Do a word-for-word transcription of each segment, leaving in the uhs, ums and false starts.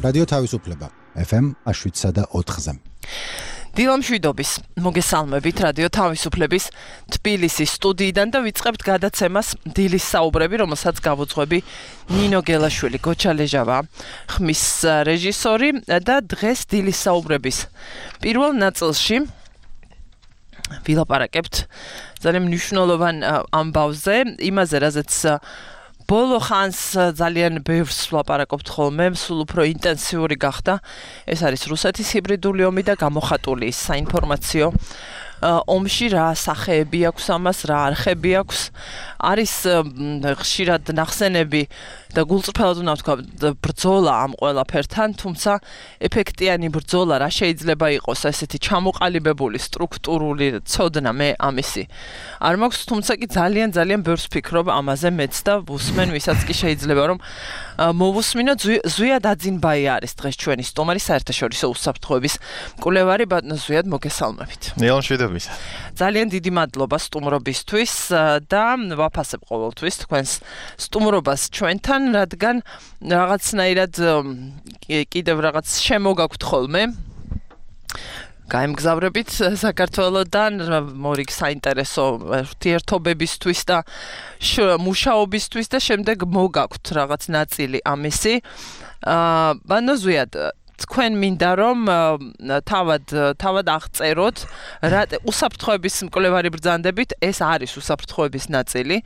რადიო თავისუფლება ეფ ემ შვიდსა და ოთხზე. დილამშვიდობის მოგესალმებით რადიო თავისუფლების თბილისის სტუდიიდან და ვიწყებთ გადაცემას დილის საუბრები, რომელსაც გავუძღვები ნინო გელაშვილი, გოჩა ლეჟავა, ხმის რეჟისორი და დღეს დილის საუბრების პირველ ნაწილში ვილაპარაკებთ ძალიან მნიშვნელოვან ამბავზე, იმაზე, რაზეც ბოლო ხანს ძალიან ბევრს ვლაპარაკობთ ხოლმე, სულ უფრო ინტენსიური გახდა. ეს არის რუსეთის ჰიბრიდული ომი და გამოხატული საინფორმაციო ომში რა სახეები აქვს ამას, რა არხები აქვს. არის ხშირად ნახსენები და გულწრფელად უნდა ვთქვა ბრძოლა ამ ყველაფერთან, თუმცა ეფექტიანი ბრძოლა რა შეიძლება იყოს ესეთი ჩამოყალიბებული სტრუქტურული ცოდნა მე ამისი არ მაქვს, თუმცა კი ძალიან ძალიან ბევრს ვფიქრობ ამაზე მეც და ვუსმენ ვისაც კი შეიძლება რომ მოვუსმინო. ზვია დაძინბაი არის დღეს ჩვენი სტუმარი, საერთაშორისო უსაფრთხოების მკვლევარი. ბატონო ზვიად, მოგესალმებით. დილამშვიდობის. ძალიან დიდი მადლობა სტუმრობისთვის და ვაფასებ ყოველთვის თქვენს სტუმრობას ჩვენთან, რადგან რაღაცნაირად კიდევ რაღაც შემოგაქვთ ხოლმე გაემგზავრებით საქართველოდან მორიგ საინტერესო ურთიერთობებისთვის და მუშაობისთვის და შემდეგ მოგაქვთ რაღაც ნაწილი ამისი. ბანო ზვიად, თქვენ მინდა რომ თავად თავად აღწეროთ რა უსაფრთხოების მკვლევარი ბრძანდებით, ეს არის უსაფრთხოების ნაწილი,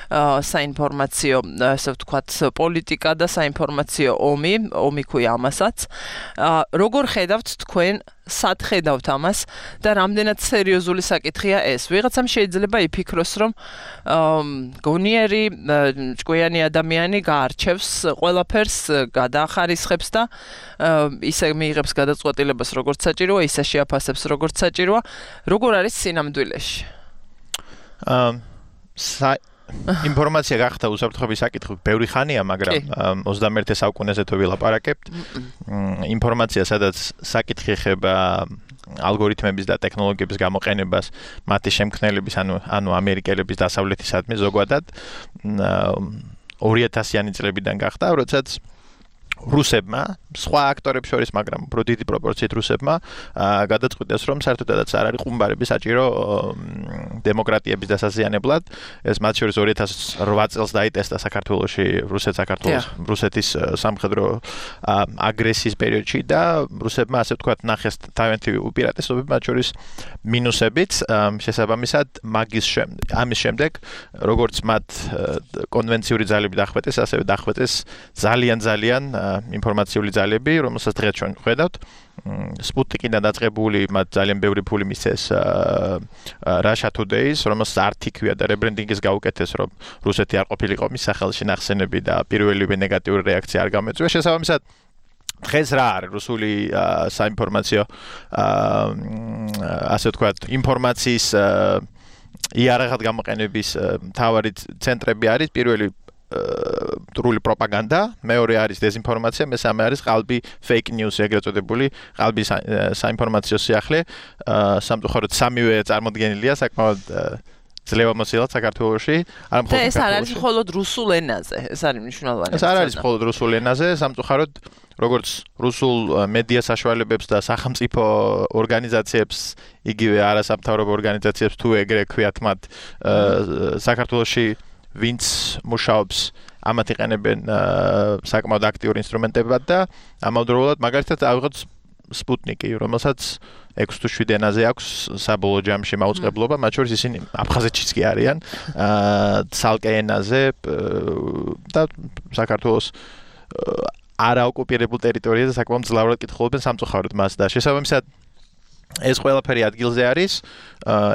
საინფორმაციო, ასე ვთქვათ, პოლიტიკა და საინფორმაციო ომი, ომი ქვია ამასაც. როგორ ხედავთ თქვენ, სად ხედავთ ამას და რამდენად სერიოზული საკითხია ეს? ვიღაცამ შეიძლება იფიქროს, რომ გონიერი ჭკვიანი ადამიანი გაარჩევს ყველაფერს, გადაახარისხებს და ისე მიიღებს გადაწყვეტილებას როგორც საჭიროა, ისე შეაფასებს როგორც საჭიროა. როგორ არის სინამდვილეში? ინფორმაცია გახდა უსაფრთხოების საკითხი ბევრი ხანია, მაგრამ ოცდამეერთე საუკუნეზე თუ ვილაპარაკებთ, ინფორმაცია, სადაც საკითხი ეხება ალგორითმების და ტექნოლოგიების გამოყენებას, მათი შემქმნელების, ანუ ანუ ამერიკელების დასავლეთისადმი ზოგადად ორი ათასიანი წლებიდან გახდა, როდესაც რუსებმა, სხვა აქტორებს შორის, მაგრამ უფრო დიდი პროპორციით რუსებმა გადაწყვიტეს, რომ საერთოდაც არ არის ყუმბარები საჭირო დემოკრატიების დასაზიანებლად. ეს მათ შორის ორი ათას ოთხ წელს დაიტესტა საქართველოში, რუსეთ-საქართველოს, რუსეთის სამხედრო აგრესიის პერიოდში და რუსებმა, ასე ვთქვათ, ნახეს თავიანთი უპირატესობები, მათ შორის მინუსებიც, შესაბამისად, მაგის შემდეგ, ამის შემდეგ, როგორც მათ კონვენციური ძალები დახვეწეს, ასევე დახვეწეს ძალიან ძალიან ინფორმაციული ძალები, რომელსაც დღეს ჩვენ ხედავთ. სპუტნიკიდან დაწყებული მათ ძალიან ბევრი ფული მისცეს Russia Today-ს, რომელსაც არტ იქვია და რებრენდინგის გაუკეთეს, რომ რუსეთი არ ყოფილიყო მის სახელში ნახსენები და პირველივე ნეგატიური რეაქცია არ გამოიწვია. შესაბამისად, დღეს რა არის რუსული საინფორმაციო ასე ვთქვათ, ინფორმაციის იარაღად გამოყენების მთავარი ცენტრები არის პირველი რუსული პროპაგანდა, მეორე არის დეზინფორმაცია, მესამე არის ყალბი fake news, ეგრეთ წოდებული ყალბი საინფორმაციო სიახლე. სამწუხაროდ სამივე წარმოდგენილია საკმაოდ ძლევამოსილად საქართველოში. და ეს არ არის მხოლოდ რუსულ ენაზე, ეს არის მნიშვნელოვანი. ეს არ არის მხოლოდ რუსულ ენაზე, სამწუხაროდ როგორც რუსულ მედია საშუალებებს და სახელმწიფო ორგანიზაციებს, იგივე არასამთავრობო ორგანიზაციებს თუ ეგრე ქვიათ მათ საქართველოში ვინც მუშაობს, ამათ იყენებენ საკმაოდ აქტიურ ინსტრუმენტებად და ამავდროულად მაგალითად ავიღოთ სპუტნიკი, რომელსაც ექვსი თუ შვიდ ენაზე აქვს საბოლოო ჯამში მაუწყებლობა, მათ შორის ისინი აფხაზეთშიც კი არიან, ცალკე ენაზე და საქართველოს არაოკუპირებულ ტერიტორიაზე საკმაოდ მძლავრად კითხულობენ სამწუხაროდ მას და შესაბამისად ეს ყველაფერი ადგილზე არის,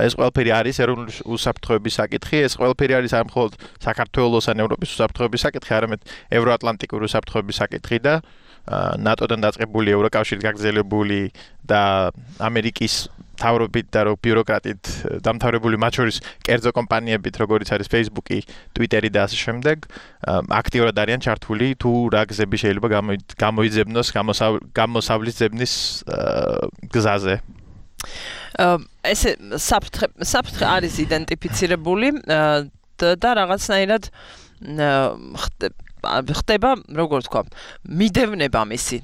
ეს ყველაფერი არის ეროვნული უსაფრთხოების საკითხი, ეს ყველაფერი არის არ მხოლოდ საქართველოს ან ევროპის უსაფრთხოების საკითხი, არამედ ევროატლანტიკური უსაფრთხოების საკითხი და ნატოდან დაწყებული, ევროკავშირით გაგრძელებული და ამერიკის მთავრობით და ბიუროკრატით დამთავრებული, მათ შორის კერძო კომპანიებით, როგორიც არის Facebook-ი, Twitter-ი და ასე შემდეგ, აქტიურად არიან ჩართული თუ რა გზები შეიძლება გამოიძებნოს გამოსავლის ძებნის გზაზე. ესე საფრთხე საფრთხე არის იდენტიფიცირებული და რაღაცნაირად ხდება, როგორ თქვა, მიდევნება მისი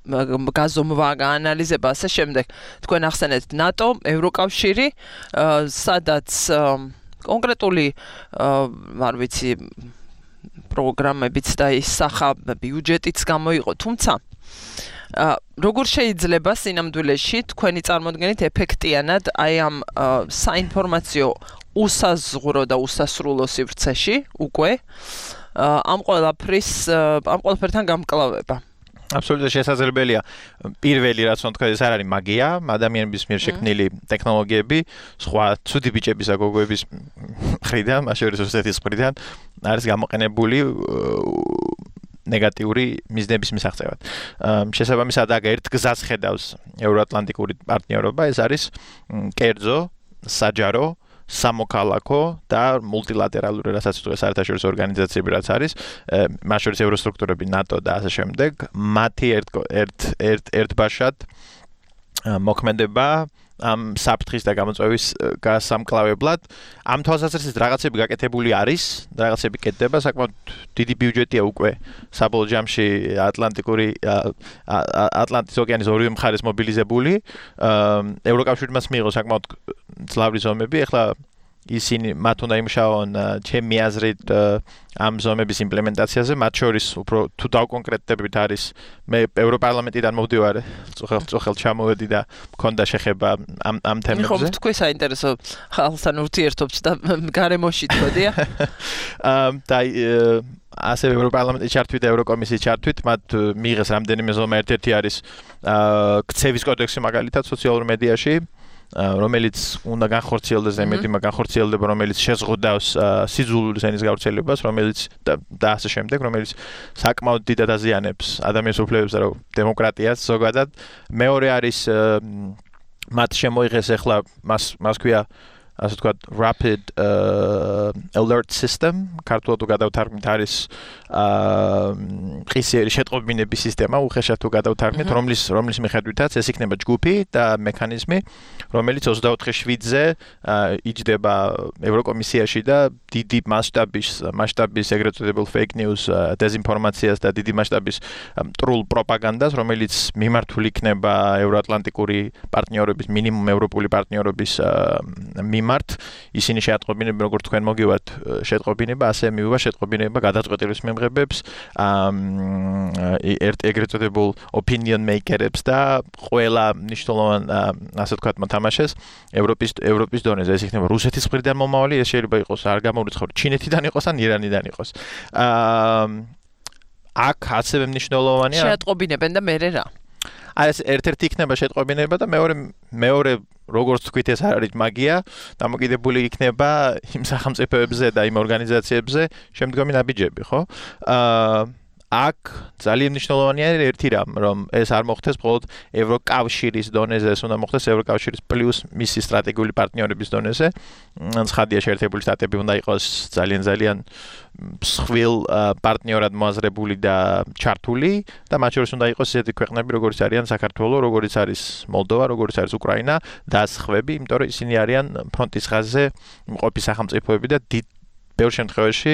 გაზომვა, გაანალიზება, ასე შემდეგ. თქვენ ახსენეთ ნატო, ევროკავშირი, სადაც კონკრეტული არ ვიცი პროგრამებიც და ის სახა ბიუჯეტიც გამოიყო, თუმცა როგორ შეიძლება სინამდვილეში თქვენი წარმოდგენით ეფექტიანად აი ამ საინფორმაციო უსაზღვრო და უსასრულო სივრცეში უკვე ამ ყველაფრის ამ ყველაფერთან გამკლავება. Absolutely შესაძლებელია. პირველი რაც უნდა თქვა, ეს არ არის მაგია, ადამიანების მიერ შექმნილი ტექნოლოგიები, სხვა ცუდი ბიჭების და გოგოების მხრიდან, მაშინ რუსეთის მხრიდან არის გამოყენებული ნეგატიური მიზნების მისაღწევად. შესაბამისად, აქ ერთ გზას ხედავს ევროატლანტიკური პარტნიორობა, ეს არის კერძო, საჯარო სამოქალაქო და მულტილატერალური რასაც თუ საერთაშორისო ორგანიზაციები რაც არის, მათ შორის ევროსტრუქტურები, ნატო და ასე შემდეგ, მათი ერთ ერთ ერთ ერთბაშად მოქმედება ამ საფრთხის და გამოწვევის გასამკლავებლად. ამ თვალსაზრისით რაღაცები გაკეთებული არის, რაღაცები კეთდება, საკმაოდ დიდი ბიუჯეტია უკვე საბოლოო ჯამში ატლანტიკური ატლანტის ოკეანის ორივე მხარეს მობილიზებული. ევროკავშირმა მიიღო საკმაოდ ძლავრი ზომები, ეხლა ისინი მათ უნდა იმუშაონ ჩემი აზრით ამ ზომების იმპლემენტაციაზე, მათ შორის უფრო თუ დავკონკრეტდებით არის მე ევროპარლამენტიდან მოვდივარ, წუხელ ჩამოვედი და მქონდა შეხება ამ ამ თემებზე. ხო, თქვენ საინტერესო ხალხთან ურთიერთობთ და გარემოში თქოდია? და ასევე ევროპარლამენტის ჩართვით და ევროკომისიის ჩართვით მათ მიიღეს რამდენიმე ზომა, ერთ-ერთი არის ქცევის კოდექსი მაგალითად სოციალურ მედიაში, რომელიც უნდა განხორციელდეს და იმედი მაგ განხორციელდება, რომელიც შეზღუდავს სიძულული ზენის გავრცელებას, რომელიც და ასე შემდეგ, რომელიც საკმაოდ დიდად აზიანებს ადამიანის უფლებებს და დემოკრატიას ზოგადად. მეორე არის მათ შემოიღეს ახლა მას მას ქვია ასე ვთქვათ rapid uh, alert system, ქართულად თუ გადავთარგმნით არის ყისიერი შეტყობინების სისტემა, უხეშად თუ გადავთარგმნით, რომლის რომლის მიხედვითაც ეს იქნება ჯგუფი და მექანიზმი, რომელიც ოცდაოთხი შვიდზე იჯდება ევროკომისიაში და დიდი მასშტაბის მასშტაბის ეგრეთ წოდებულ fake news, დეზინფორმაციას და დიდი მასშტაბის მტრულ პროპაგანდას, რომელიც მიმართული იქნება ევროატლანტიკური პარტნიორების, მინიმუმ ევროპული პარტნიორების მიმართ, ისინი შეატყობინებენ, როგორც თქვენ მოგივართ შეტყობინება, ასე მიუვა შეტყობინება გადაწყვეტილების მიღებებს, ერთ ეგრეთ წოდებულ opinion maker-ებს და ყველა მნიშვნელოვან ასე ვთქვათ მოთამაშეს ევროპის ევროპის დონეზე. ეს იქნება რუსეთის მხრიდან მომავალი, ეს შეიძლება იყოს არ გამორიცხული ჩინეთიდან იყოს ან ირანიდან იყოს. აქ ასევე მნიშვნელოვანია შეატყობინებენ და მერე რა? აი ეს ერთ-ერთი იქნება შეტყობინება და მეორე მეორე როგორც თქვით ეს არ არის მაგია, დამოკიდებული იქნება იმ სახელმწიფოებზე და იმ ორგანიზაციებზე შემდგომი ნაბიჯები, ხო? აა აქ ძალიან მნიშვნელოვანია ერთი რამ, რომ ეს არ მოხდეს მხოლოდ ევროკავშირის დონეზე, ეს უნდა მოხდეს ევროკავშირის პლუს მისი სტრატეგიული პარტნიორების დონეზე. ცხადია, შეერთებული შტატები უნდა იყოს ძალიან ძალიან მსხვილ პარტნიორად მოაზრებული და ჩართული და მათ შორის უნდა იყოს ისეთი ქვეყნები, როგორც არიან საქართველო, როგორც არის მოლდოვა, როგორც არის უკრაინა და სხვები, იმიტომ რომ ისინი არიან ფრონტის ხაზზე მყოფი სახელმწიფოები და დიდ ბევრ შემთხვევაში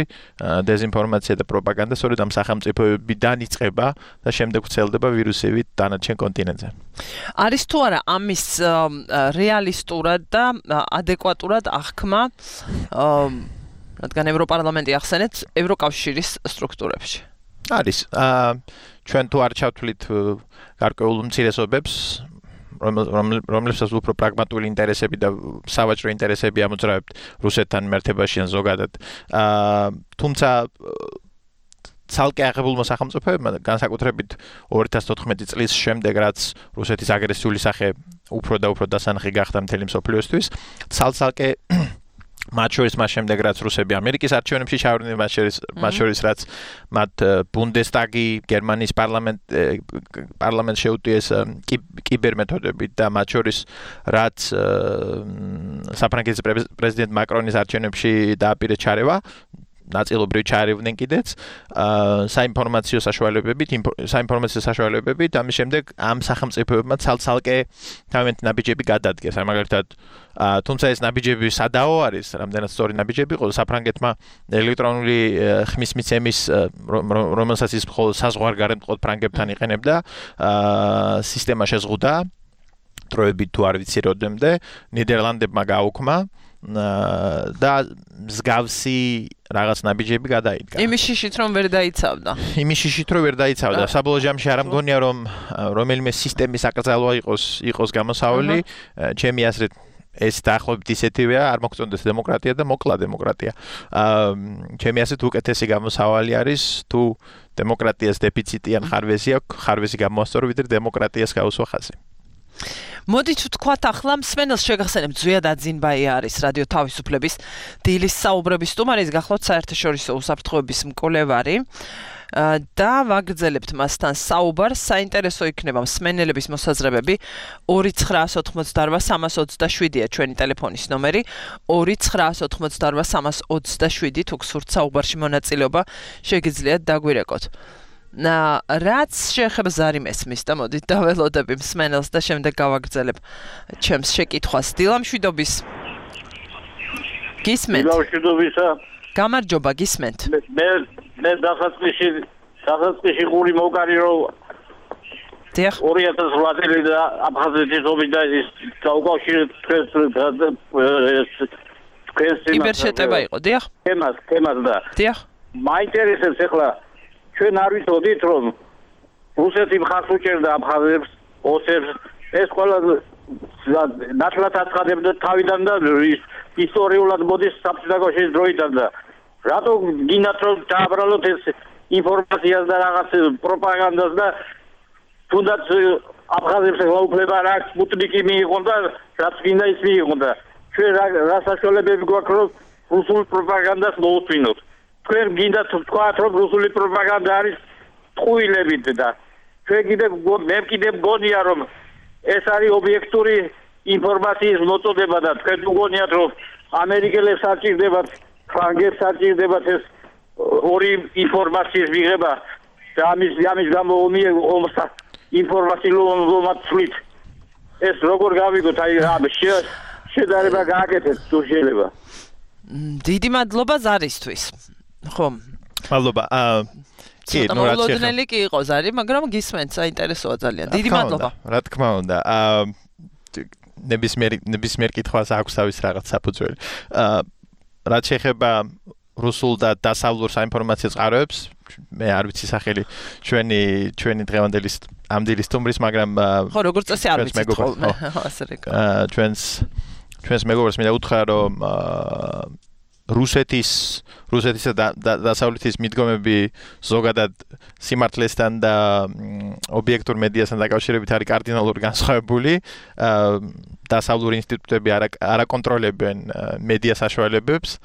დეზინფორმაცია და პროპაგანდა სწორედ ამ სახელმწიფოებიდან იწყება და შემდეგ ვრცელდება ვირუსებით დანარჩენ კონტინენტზე. არის თუ არა ამის რეალისტურად და ადეკვატურად აღქმა, რადგან ევროპარლამენტი ახსენეთ ევროკავშირის სტრუქტურებში? არის. ჩვენ თუ არ ჩავთვლით გარკვეულ უმცირესობებს, რომლებსაც უფრო პრაგმატული ინტერესები და სავაჭრო ინტერესები ამოძრავებთ რუსეთთან მიმართებაში ან ზოგადად. თუმცა ცალკე აღებულმა სახელმწიფოებმა განსაკუთრებით ორი ათას თოთხმეტი წლის შემდეგ, რაც რუსეთის აგრესიული სახე უფრო და უფრო დასანახი გახდა მთელი მსოფლიოსთვის, ცალ-ცალკე მათ შორის მას შემდეგ, რაც რუსები ამერიკის არჩევნებში ჩავარდნენ, მათ შორის მათ შორის რაც მათ ბუნდესტაგი, გერმანიის პარლამენტ პარლამენტს შეუტიეს კიბერმეთოდებით და მათ შორის რაც საფრანგეთის პრეზიდენტ მაკრონის არჩევნებში დააპირეს ჩარევა, ნაწილობრივ ჩაერევნენ კიდეც საინფორმაციო საშუალებებით, საინფორმაციო საშუალებებით, ამის შემდეგ ამ სახელმწიფოებმა ცალ-ცალკე თავიანთი ნაბიჯები გადადგეს. აი მაგალითად, თუმცა ეს ნაბიჯები სადაო არის, რამდენად სწორი ნაბიჯები იყო, საფრანგეთმა ელექტრონული ხმის მიცემის, რომელსაც ის მხოლოდ საზღვარგარეთ ფრანგებთან იყენებდა, სისტემა შეზღუდა, დროებით თუ არ ვიცი როდემდე, ნიდერლანდებმა გაუქმა და მსგავსი რაღაც ნაბიჯები გადაიდგა. იმის შიშით რომ ვერ დაიცავდა. იმის შიშით რომ ვერ დაიცავდა. საბოლოო ჯამში არ მგონია რომ რომელიმე სისტემის აკრძალვა იყოს იყოს გამოსავალი, ჩემი აზრით ეს დაახლოებით ისეთივეა, არ მოგწონდეს დემოკრატია და მოკლა დემოკრატია. აა ჩემი აზრით უკეთესი გამოსავალი არის თუ დემოკრატიას დეფიციტი ან ხარვეზი აქვს, ხარვეზი გამოასწორო ვიდრე დემოკრატიას გაუსვა ხაზი. მოდით ვთქვათ ახლა მსმენელს შეგახსენებთ ზვიად აძინბაია არის რადიო თავისუფლების დილის საუბრების სტუმარი, ის გახლავთ საერთაშორისო უსაფრთხოების მკვლევარი და ვაგრძელებთ მასთან საუბარს. საინტერესო იქნება მსმენელების მოსაზრებები. ორი ცხრა ოთხმოცდაორვა სამას ოცდაშვიდია ჩვენი ტელეფონის ნომერი. ორი ცხრა ოთხმოცდაორვა სამას ოცდაშვიდი თუ გსურთ საუბარში მონაწილეობა შეგიძლიათ დაგვირეკოთ. Na, რაც შეეხება ზარიმესმის და მოდით დაველოდები მსმენელს და შემდეგ გავაგრძელებ ჩემს შეკითხვას. დილამშვიდობის. გისმენთ? დილამშვიდობისა. გამარჯობა, გისმენთ. მე მე დასაწყისში დასაწყისში გული მოკარი რომ დიახ. ორი ათას ოთხ წელი და აფხაზეთის ომი და ის გაუკავშირეთ თქვენს თქვენს კიბერშეტევა იყო, დიახ? თემას, თემას და დიახ. მაინტერესებს ახლა ჩვენ არ ვიცოდით რომ რუსეთი მხარს უჭერდა აფხაზებს, ოსებს, ეს ყველა ნათლად აცხადებდა თავიდან და ისტორიულად მოდის საბჭოთა დროიდან და რატო გინდათ რომ დააბრალოთ ეს ინფორმაციას და რაღაც პროპაგანდას და თუნდაც აფხაზებს გაუკლება რა სპუტნიკი მიიღონ და რაც გინდა ის მიიღონ და ჩვენ რა საშუალებები გვაქვს რომ რუსულ პროპაგანდას მოусვინოთ. თქვენ გინდათ ვთქვათ რომ რუსული პროპაგანდა არის ტყუილებით და ჩვენ კიდევ მე კიდევ მგონია რომ ეს არის ობიექტური ინფორმაციის მოწოდება და თქვენ მგონიათ რომ ამერიკელებს არჭირდებათ, ფრანგებს არჭირდებათ ეს ორი ინფორმაციის მიღება და ამის ამის გამო ომს ინფორმაციულ ომაცვლით ეს როგორ გავიგოთ აი ამ შედარება გააკეთეთ თუ შეიძლება. დიდი მადლობა ზარისთვის. ხო. მადლობა. აა კი, ნუ რაც შეიძლება. კი იყო ზარი, მაგრამ გისმენთ, საინტერესოა ძალიან. დიდი მადლობა. რა თქმა უნდა. აა ნებისმიერ ნებისმიერ კითხვას აქვს თავის რაღაც საფუძველი. აა რაც შეეხება რუსულ და დასავლურ საინფორმაციო წყაროებს, მე არ ვიცი სახელი ჩვენი ჩვენი დღევანდელი ამ დილის სტუმრის, მაგრამ ხო, როგორც წესი არ ვიცი ხოლმე, ასე რეკა. აა ჩვენს ჩვენს მეგობრებს მინდა უთხრა რომ რუსეთის რუსეთისა და დასავლეთის მიდგომები ზოგადად სიმართლესთან და ობიექტურ მედიასთან დაკავშირებით არის კარდინალურად განსხვავებული. დასავლური ინსტიტუტები არ აკონტროლებენ მედია საშუალებებს.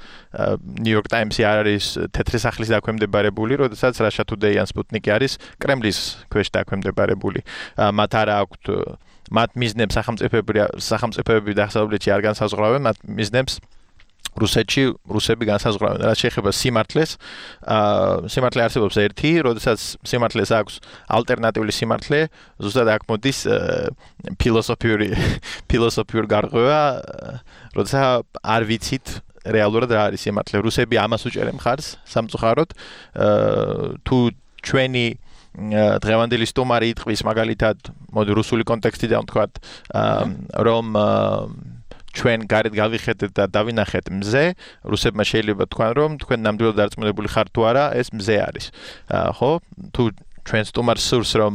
New York Times-ი არ არის თეთრი სახლის დაქვემდებარებული, როდესაც Russia Today ან Sputnik-ი არის კრემლის ქვეშ დაქვემდებარებული. მათ არ აქვთ მათ მიზნებს სახელმწიფოები სახელმწიფოები დასავლეთში არ განსაზღვრავენ, მათ მიზნებს რუსეთში რუსები განსაზღვრავენ. რაც შეეხება სიმართლეს, აა სიმართლე არსებობს ერთი, როდესაც სიმართლეს აქვს ალტერნატიული სიმართლე, ზუსტად აქ მოდის ფილოსოფიური ფილოსოფიური გარღვევა, როდესაც არ ვიცით რეალურად რა არის სიმართლე. რუსები ამას უჭერენ მხარს სამწუხაროდ, თუ ჩვენი დღევანდელი სტუმარი იტყვის მაგალითად, მოდი რუსული კონტექსტიდან ვთქვათ, რომ ჩვენ გარეთ გავიხედეთ და დავინახეთ მზე, რუსებმა შეიძლება თქვან რომ თქვენ ნამდვილად დარწმუნებული ხართ თუ არა, ეს მზე არის. ხო? თუ ჩვენ სტუმარს სურს რომ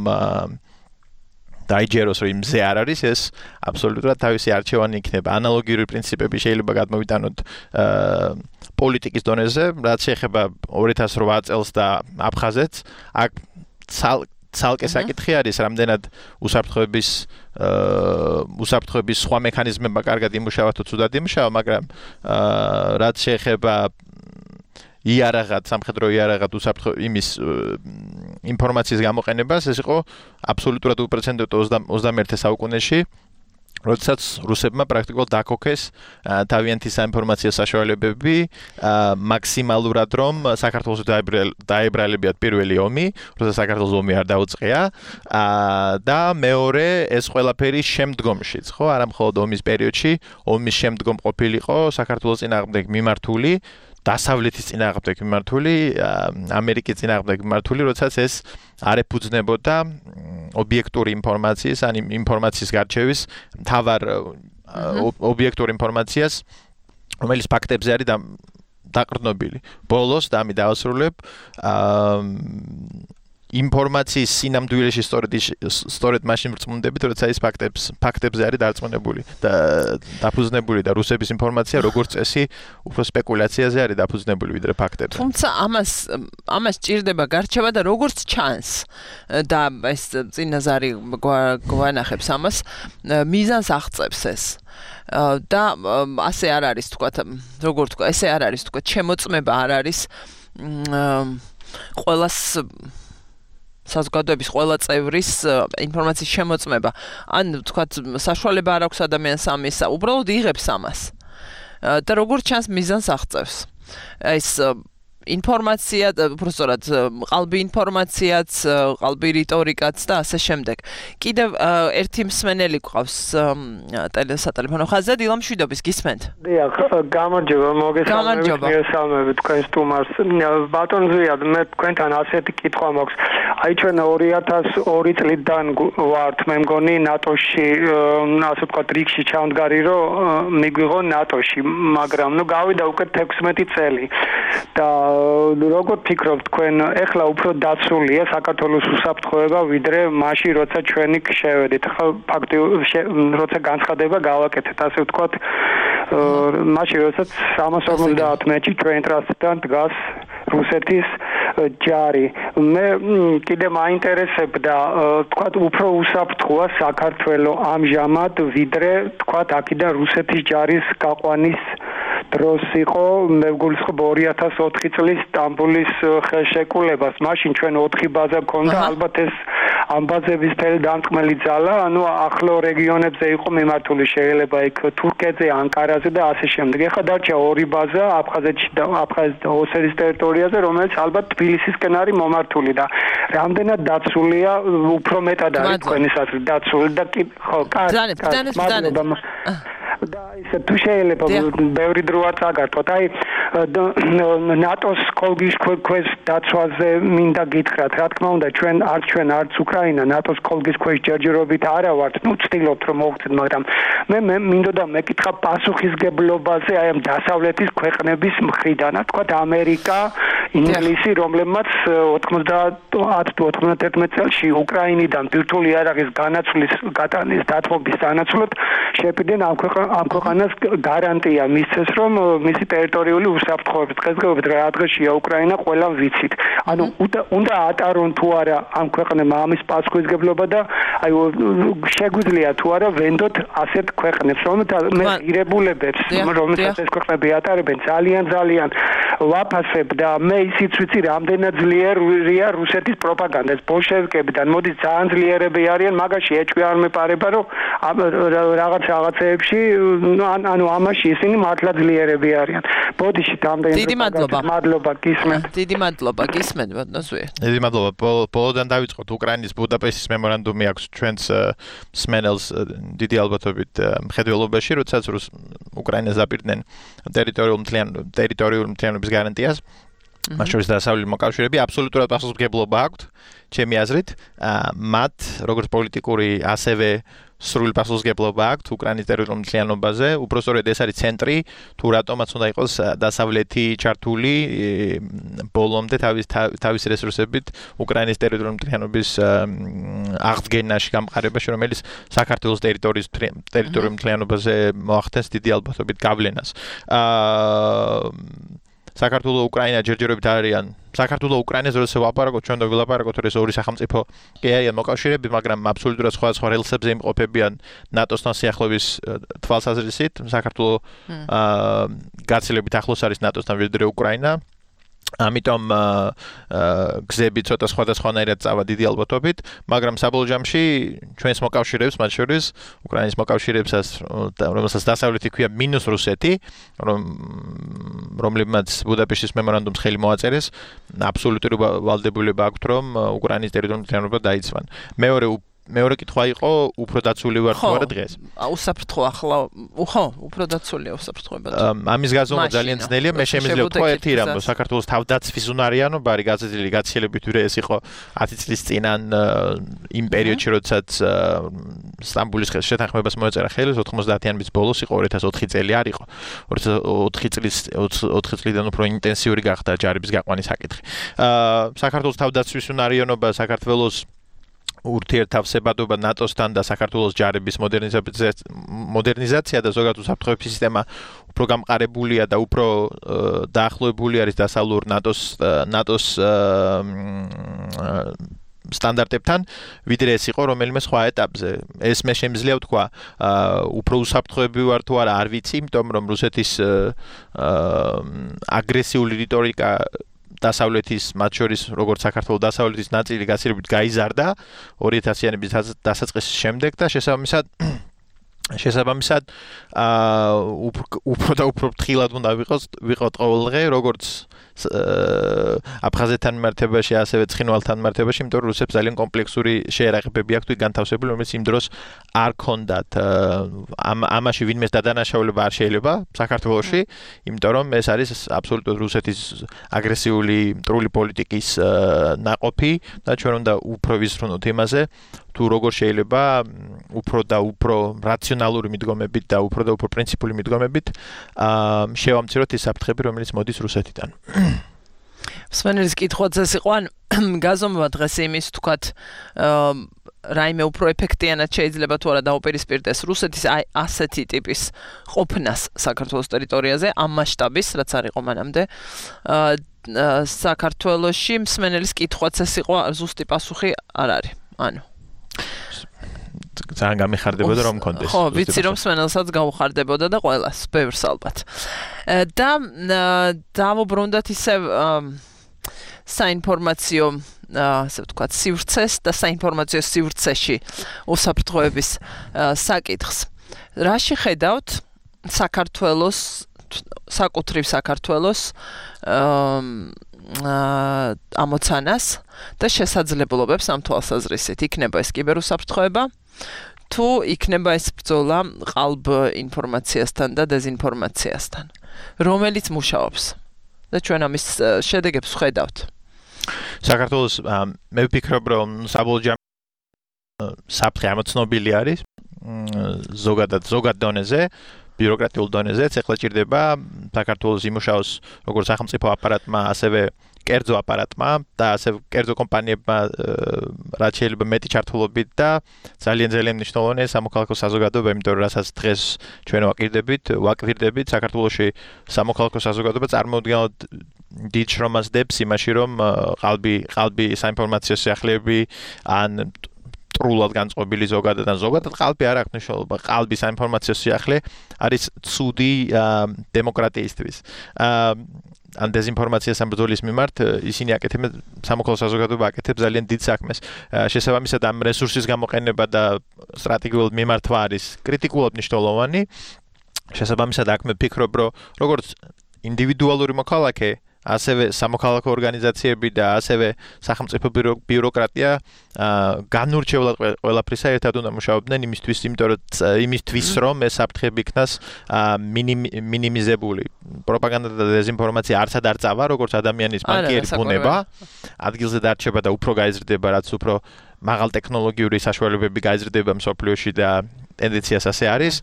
დაიჯეროს რომ მზე არ არის, ეს აბსოლუტურად თავისი არჩევანი იქნება. ანალოგიური პრინციპები შეიძლება გადმოვიტანოთ პოლიტიკის დონეზე, რაც შეეხება ორი ათას ოთხ წელს და აფხაზეთს, აქ ცალკე საკითხი არის, რამდენად უსაფრთხოების უსაფრთხოების სხვა მექანიზმებმა კარგად იმუშავა თუ ცუდად იმუშავა, მაგრამ რაც შეეხება იარაღად, სამხედრო იარაღად უსაფრთხო იმის ინფორმაციის გამოყენებას, ეს იყო აბსოლუტურად უპრეცედენტო ოცდამეერთე საუკუნეში. როდესაც რუსებმა პრაქტიკულად დაქოქეს თავიანთი საინფორმაციო საშუალებები მაქსიმალურად რომ საქართველოს დაებრალებიათ პირველი ომი, როდესაც საქართველოს ომი არ დაუწყია და მეორე ეს ყველაფერი შემდგომშიც, ხო, არა მხოლოდ ომის პერიოდში, ომის შემდგომ ყოფილიყო საქართველოს წინააღმდეგ მიმართული დასავლეთის წინააღმდეგ მიმართული, ამერიკის წინააღმდეგ მიმართული, როდესაც ეს არ ეფუძნებოდა ობიექტური ინფორმაციის, ან ინფორმაციის გარჩევის მთავარ ობიექტურ ინფორმაციას, რომელიც ფაქტებზე არის დაყრდნობილი. ბოლოს და ამი დავასრულებ, ინფორმაციის სინამდვილეში სწორედ სწორედ მაშინ ვრწმუნდებით, როცა ის ფაქტებს ფაქტებზე არის დარწმუნებული და დაფუძნებული და რუსების ინფორმაცია როგორც წესი უფრო სპეკულაციაზე არის დაფუძნებული ვიდრე ფაქტებზე. თუმცა ამას ამას ჭირდება გარჩევა და როგორც ჩანს და ეს წინაზარი გვანახებს ამას მიზანს აღწევს ეს. და ასე არ არის თქვათ, როგორ თქვა, ესე არ არის თქვათ, შემოწმება არ არის ყველას საზოგადოების ყველა წევრის ინფორმაციის შემოწმება. ან თქვათ, საშუალება არ აქვს ადამიანს ამის, უბრალოდ იღებს ამას. და როგორც ჩანს მიზანს აღწევს. ეს ინფორმაცია, უბრალოდ ყალბი ინფორმაციაც, ყალბი რიტორიკაც და ასე შემდეგ. კიდევ ერთი მსმენელი გვყავს ტელესატელეფონო ხაზზე, დილა მშვიდობის, გისმენთ? დიახ, გამარჯობა, მოგესალმებით, მოგესალმებით თქვენ სტუმარს. ბატონ ზვიად, მე თქვენთან ასეთი კითხვა მაქვს. აი ჩვენ ორი ათას ორი წლიდან ვართ, მე მგონი ნატოში, ასე ვთქვათ, რიგში ჩავდგარი, რომ მიგვიღო ნატოში, მაგრამ ნუ გავიდა უკვე თექვსმეტი წელი. და როგორ ფიქრობთ თქვენ, ეხლა უფრო დაცულია საქართველოს უსაფრთხოება ვიდრე მაშინ, როცა ჩვენი შევედით. ხო, ფაქტიურად როცა განცხადება გავაკეთეთ, ასე ვთქვათ, მაშინ, როდესაც სამას ორმოცდაათ მეტრში ჩვენ ტრასთან დგას რუსეთის ჯარი. მე კიდე მაინტერესებდა, თქვათ, უფრო უსაფრთხოა საქართველოს ამჟამად ვიდრე, თქვათ, აქედან რუსეთის ჯარის გაყვანის დროს იყო, მე ვგულისხმობ ორი ათას ოთხი წლის სტამბოლის ხელშეკრულებას. მაშინ ჩვენ ოთხი ბაზა გქონდა, ალბათ ეს ამ ბაზების მთელი დამწმელი ძალა, ანუ ახლო რეგიონებზე იყო მიმართული, შეიძლება იქ თურქეთზე, ანკარაზე და ასე შემდეგ. ეხლა დარჩა ორი ბაზა აფხაზეთში და აფხაზეთის და ოსეთის ტერიტორიაზე, რომელიც ალბათ თბილისისკენ არის მომართული და რამდენად დაცულია, უფრო მეტად არის თქვენი საზრით დაცული და ხო, კარგი. და ისე თუ შეიძლება ბევრი დრო არ წაგართოთ. აი ნატოს კოლგის ქვეშ დაცვაზე მინდა გითხრათ. რა თქმა უნდა, ჩვენ არ ჩვენ არც უკრაინა ნატოს კოლგის ქვეშ ჯერჯერობით არა ვართ. ნუ ვცდილობთ რომ მოვხდეთ, მაგრამ მე მე მინდოდა მეკითხა პასუხისგებლობაზე აი ამ დასავლეთის ქვეყნების მხრიდან. თქვათ ამერიკა, ინგლისი, რომლებმაც ოთხმოცდაათ თუ ოთხმოცდაერთმეტ წელს უკრაინიდან ბირთვული იარაღის განაცვლის გატანის დათმობის სანაცვლოდ შეპირდნენ ამ ამ ქვეყანას გარანტია მისცეს, რომ მისი ტერიტორიული უსაფრთხოების დღესდღეობით რა დღეშია უკრაინა, ყველა ვიცით. ანუ უნდა ატარონ თუ არა ამ ქვეყნებმა ამის პასუხისგებლობა და აი შეგვიძლია თუ არა ვენდოთ ასეთ ქვეყნებს, რომელთა მე ღირებულებებს, რომელთაც ეს ქვეყნები ატარებენ, ძალიან ძალიან ვაფასებ და მე ისიც ვიცი, რამდენად ძლიერია რუსეთის პროპაგანდა. ეს ბოლშევიკებიდან მოდის ძალიან ძლიერები არიან, მაგაში ეჭვი არ მეპარება, რომ რაღაც რაღაცეებში ანუ ამაში ისინი მართლა ძლიერები არიან. ბოდიში რამდენი დიდი მადლობა. მადლობა, გისმენთ. დიდი მადლობა, გისმენთ, ბატონო. დიდი მადლობა. ბოლოდან დავიწყოთ უკრაინის ბუდაპეშტის მემორანდუმი აქვს ჩვენს მსმენელს დიდი ალბათობით მხედველობაში, როდესაც უკრაინას დაპირდნენ ტერიტორიულ ტერიტორიული მთლიანობის გარანტიას. მათ შორის დასავლელი მოკავშირეები აბსოლუტურად პასუხისმგებლობა აქვთ, ჩემი აზრით, მათ როგორც პოლიტიკური, ასევე სრული პასუხისმგებლობა აქვთ უკრაინის ტერიტორიულ მთლიანობაზე, უბრალოდ ეს არის ცენტრი, თუ რატომაც უნდა იყოს დასავლეთი ჩართული ბოლომდე თავის თავის რესურსებით უკრაინის ტერიტორიულ მთლიანობის აღდგენაში, გამყარებაში, რომელიც საქართველოს ტერიტორიის ტერიტორიულ მთლიანობაზე მოახდენს დიდი ალბათობით გავლენას. აა საქართველოს უკრაინა ჯერჯერობით არიან. საქართველოს უკრაინას როდესაც ვლაპარაკობთ, ჩვენ და ვილაპარაკოთ, რომ ეს ორი სახელმწიფო კი არიან მოკავშირეები, მაგრამ აბსოლუტურად სხვადასხვა რელსებზე იმყოფებიან ნატოსთან სიახლოვის თვალსაზრისით. საქართველოს აა გაცილებით ახლოს არის ნატოსთან ვიდრე უკრაინა. ამიტომ გზები ცოტა სხვადასხვანაირად წავა დიდი ალბათობით, მაგრამ საბოლოო ჯამში ჩვენს მოკავშირეებს, მათ შორის უკრაინის მოკავშირეებსაც, რომელსაც დასავლეთი ქვია მინუს რუსეთი, რომლებმაც ბუდაპეშტის მემორანდუმს ხელი მოაწერეს, აბსოლუტური ვალდებულება აქვთ, რომ უკრაინის ტერიტორიული თანხმობა დაიცვან. მეორე მეორე კითხვა იყო უფრო დაცული ვარ თუ არა დღეს. უსაფრთხო ახლა, ხო, უფრო დაცულია უსაფრთხოება. ამის გაზომა ძალიან ძნელია, მე შემიძლია ვთქვა ერთი რამ, საქართველოს თავდაცვის უნარიანობარი გაზრდილი გაცილებით ვიდრე ეს იყო ათი წლის წინან იმ პერიოდში, როდესაც სტამბოლის შეთანხმებას მოეწერა ხელი, ოთხმოცდაათიანების ბოლოს იყო ორი ათას ოთხი წელი არ იყო. ოთხი წლის ოთხი წლიდან უფრო ინტენსიური გახდა ჯარების გაყვანის საკითხი. საქართველოს თავდაცვის უნარიანობა საქართველოს ურთიერთთავსებადობა ნატოსთან და საქართველოს ჯარების მოდერნიზაცია და ზოგადად უსაფრთხოების სისტემა უფრო გამყარებულია და უფრო დაახლოებული არის დასავლურ ნატოს ნატოს სტანდარტებთან, ვიდრე ეს იყო რომელიმე სხვა ეტაპზე. ეს მე შემიძლია ვთქვა, უფრო უსაფრთხოები ვარ თუ არა, არ ვიცი, იმიტომ რომ რუსეთის აგრესიული რიტორიკა დასავლეთის, მათ შორის როგორც საქართველოს დასავლეთის ნაწილი გაცილებით გაიზარდა ორი ათასიანების დასაწყისის შემდეგ და შესაბამისად შესაბამისად უფრო და უფრო ფრთხილად უნდა ვიყოს ვიყოთ ყოველდღე, როგორც აფხაზეთთან მიმართებაში, ასევე ცხინვალთან მიმართებაში, იმიტომ რომ რუსებს ძალიან კომპლექსური შეერაღებები აქვთ განთავსებული, რომელიც იმ დროს არ ქონდათ. ამაში ვინმეს დადანაშაულება არ შეიძლება საქართველოში, იმიტომ რომ ეს არის აბსოლუტურად რუსეთის აგრესიული მტრული პოლიტიკის ნაყოფი და ჩვენ უნდა უფრო ვისწრუნოთ იმაზე, თუ როგორ შეიძლება უფრო და უფრო რაციონალური მიდგომებით და უფრო და უფრო პრინციპული მიდგომებით შევამციროთ ის საფრთხები, რომელიც მოდის რუსეთიდან. მსმენელის კითხვაც ეს იყო, ან გაზომვა დღეს იმის თქვათ რაიმე უფრო ეფექტიანად შეიძლება თუ არა დაუპირისპირდეს რუსეთის აი ასეთი ტიპის ყოფნას საქართველოს ტერიტორიაზე ამ მასშტაბის, რაც არ იყო მანამდე საქართველოში. მსმენელის კითხვაც ეს იყო, ზუსტი პასუხი არ არის. ანუ ძალიან გამიხარდებოდა რომ მქონდეს. ხო, ვიცი რომ მსმენელსაც გაუხარდებოდა და ყველას, ბევრს ალბათ. და დავუბრუნდათ ისე საინფორმაციო, ასე ვთქვათ, სივრცეს და საინფორმაციო სივრცეში უსაფრთხოების საკითხს. რაში ხედავთ საქართველოს, საკუთრივ საქართველოს ამოცანას და შესაძლებლობებს ამ თვალსაზრისით? იქნება ეს კიბერუსაფრთხოება თუ იქნება ეს ბრძოლა ყალბ ინფორმაციასთან და დეზინფორმაციასთან, რომელიც მუშაობს და ჩვენ ამის შედეგებს ვხედავთ? საქართველოს მე ვფიქრობ, რომ საბოლოო საფრთხე ამოცნობილი არის ზოგადად ზოგად დონეზე, ბიუროკრატიულ დონეზეც. ეხლა ჭირდება საქართველოს იმუშაოს როგორც სახელმწიფო აპარატმა, ასევე კერძო აპარატმა და ასევე კერძო კომპანიებმა რაც შეიძლება მეტი ჩართულობით და ძალიან ძალიან მნიშვნელოვანია სამოქალაქო საზოგადოება, იმიტომ რომ რასაც დღეს ჩვენ ვაკირდებით, ვაკვირდებით, საქართველოში სამოქალაქო საზოგადოება წარმოუდგენლად დიდ შრომას დებს იმაში, რომ ყალბი ყალბი საინფორმაციო სიახლეები ან ტრულად განწყობილი ზოგადად ან ზოგადად ყალბი არ აქვს მნიშვნელობა. ყალბი საინფორმაციო სიახლე არის ცუდი დემოკრატიისთვის. ან დეზინფორმაციას ამ ბრძოლის მიმართ ისინი აკეთებენ, სამოქალაქო საზოგადოება აკეთებს ძალიან დიდ საქმეს. შესაბამისად ამ რესურსის გამოყენება და სტრატეგიულ მიმართვა არის კრიტიკულად მნიშვნელოვანი. შესაბამისად აქ მე ვფიქრობ, რომ როგორც ინდივიდუალური მოქალაქე, ასევე სამოქალაქო ორგანიზაციები და ასევე სახელმწიფო ბიუროკრატია განურჩევლად ყველაფრისა ერთად უნდა მუშაობდნენ იმისთვის, იმიტომ რომ იმისთვის რომ ეს საფრთხები იქნას მინიმიზებული. პროპაგანდა და დეზინფორმაცია არცად არ წავა, როგორც ადამიანის ბანკიერი ბუნება, ადგილზე დარჩება და უფრო გაიზრდება, რაც უფრო მაღალ ტექნოლოგიური საშუალებები გაიზრდება მსოფლიოში და ტენდენციას ასე არის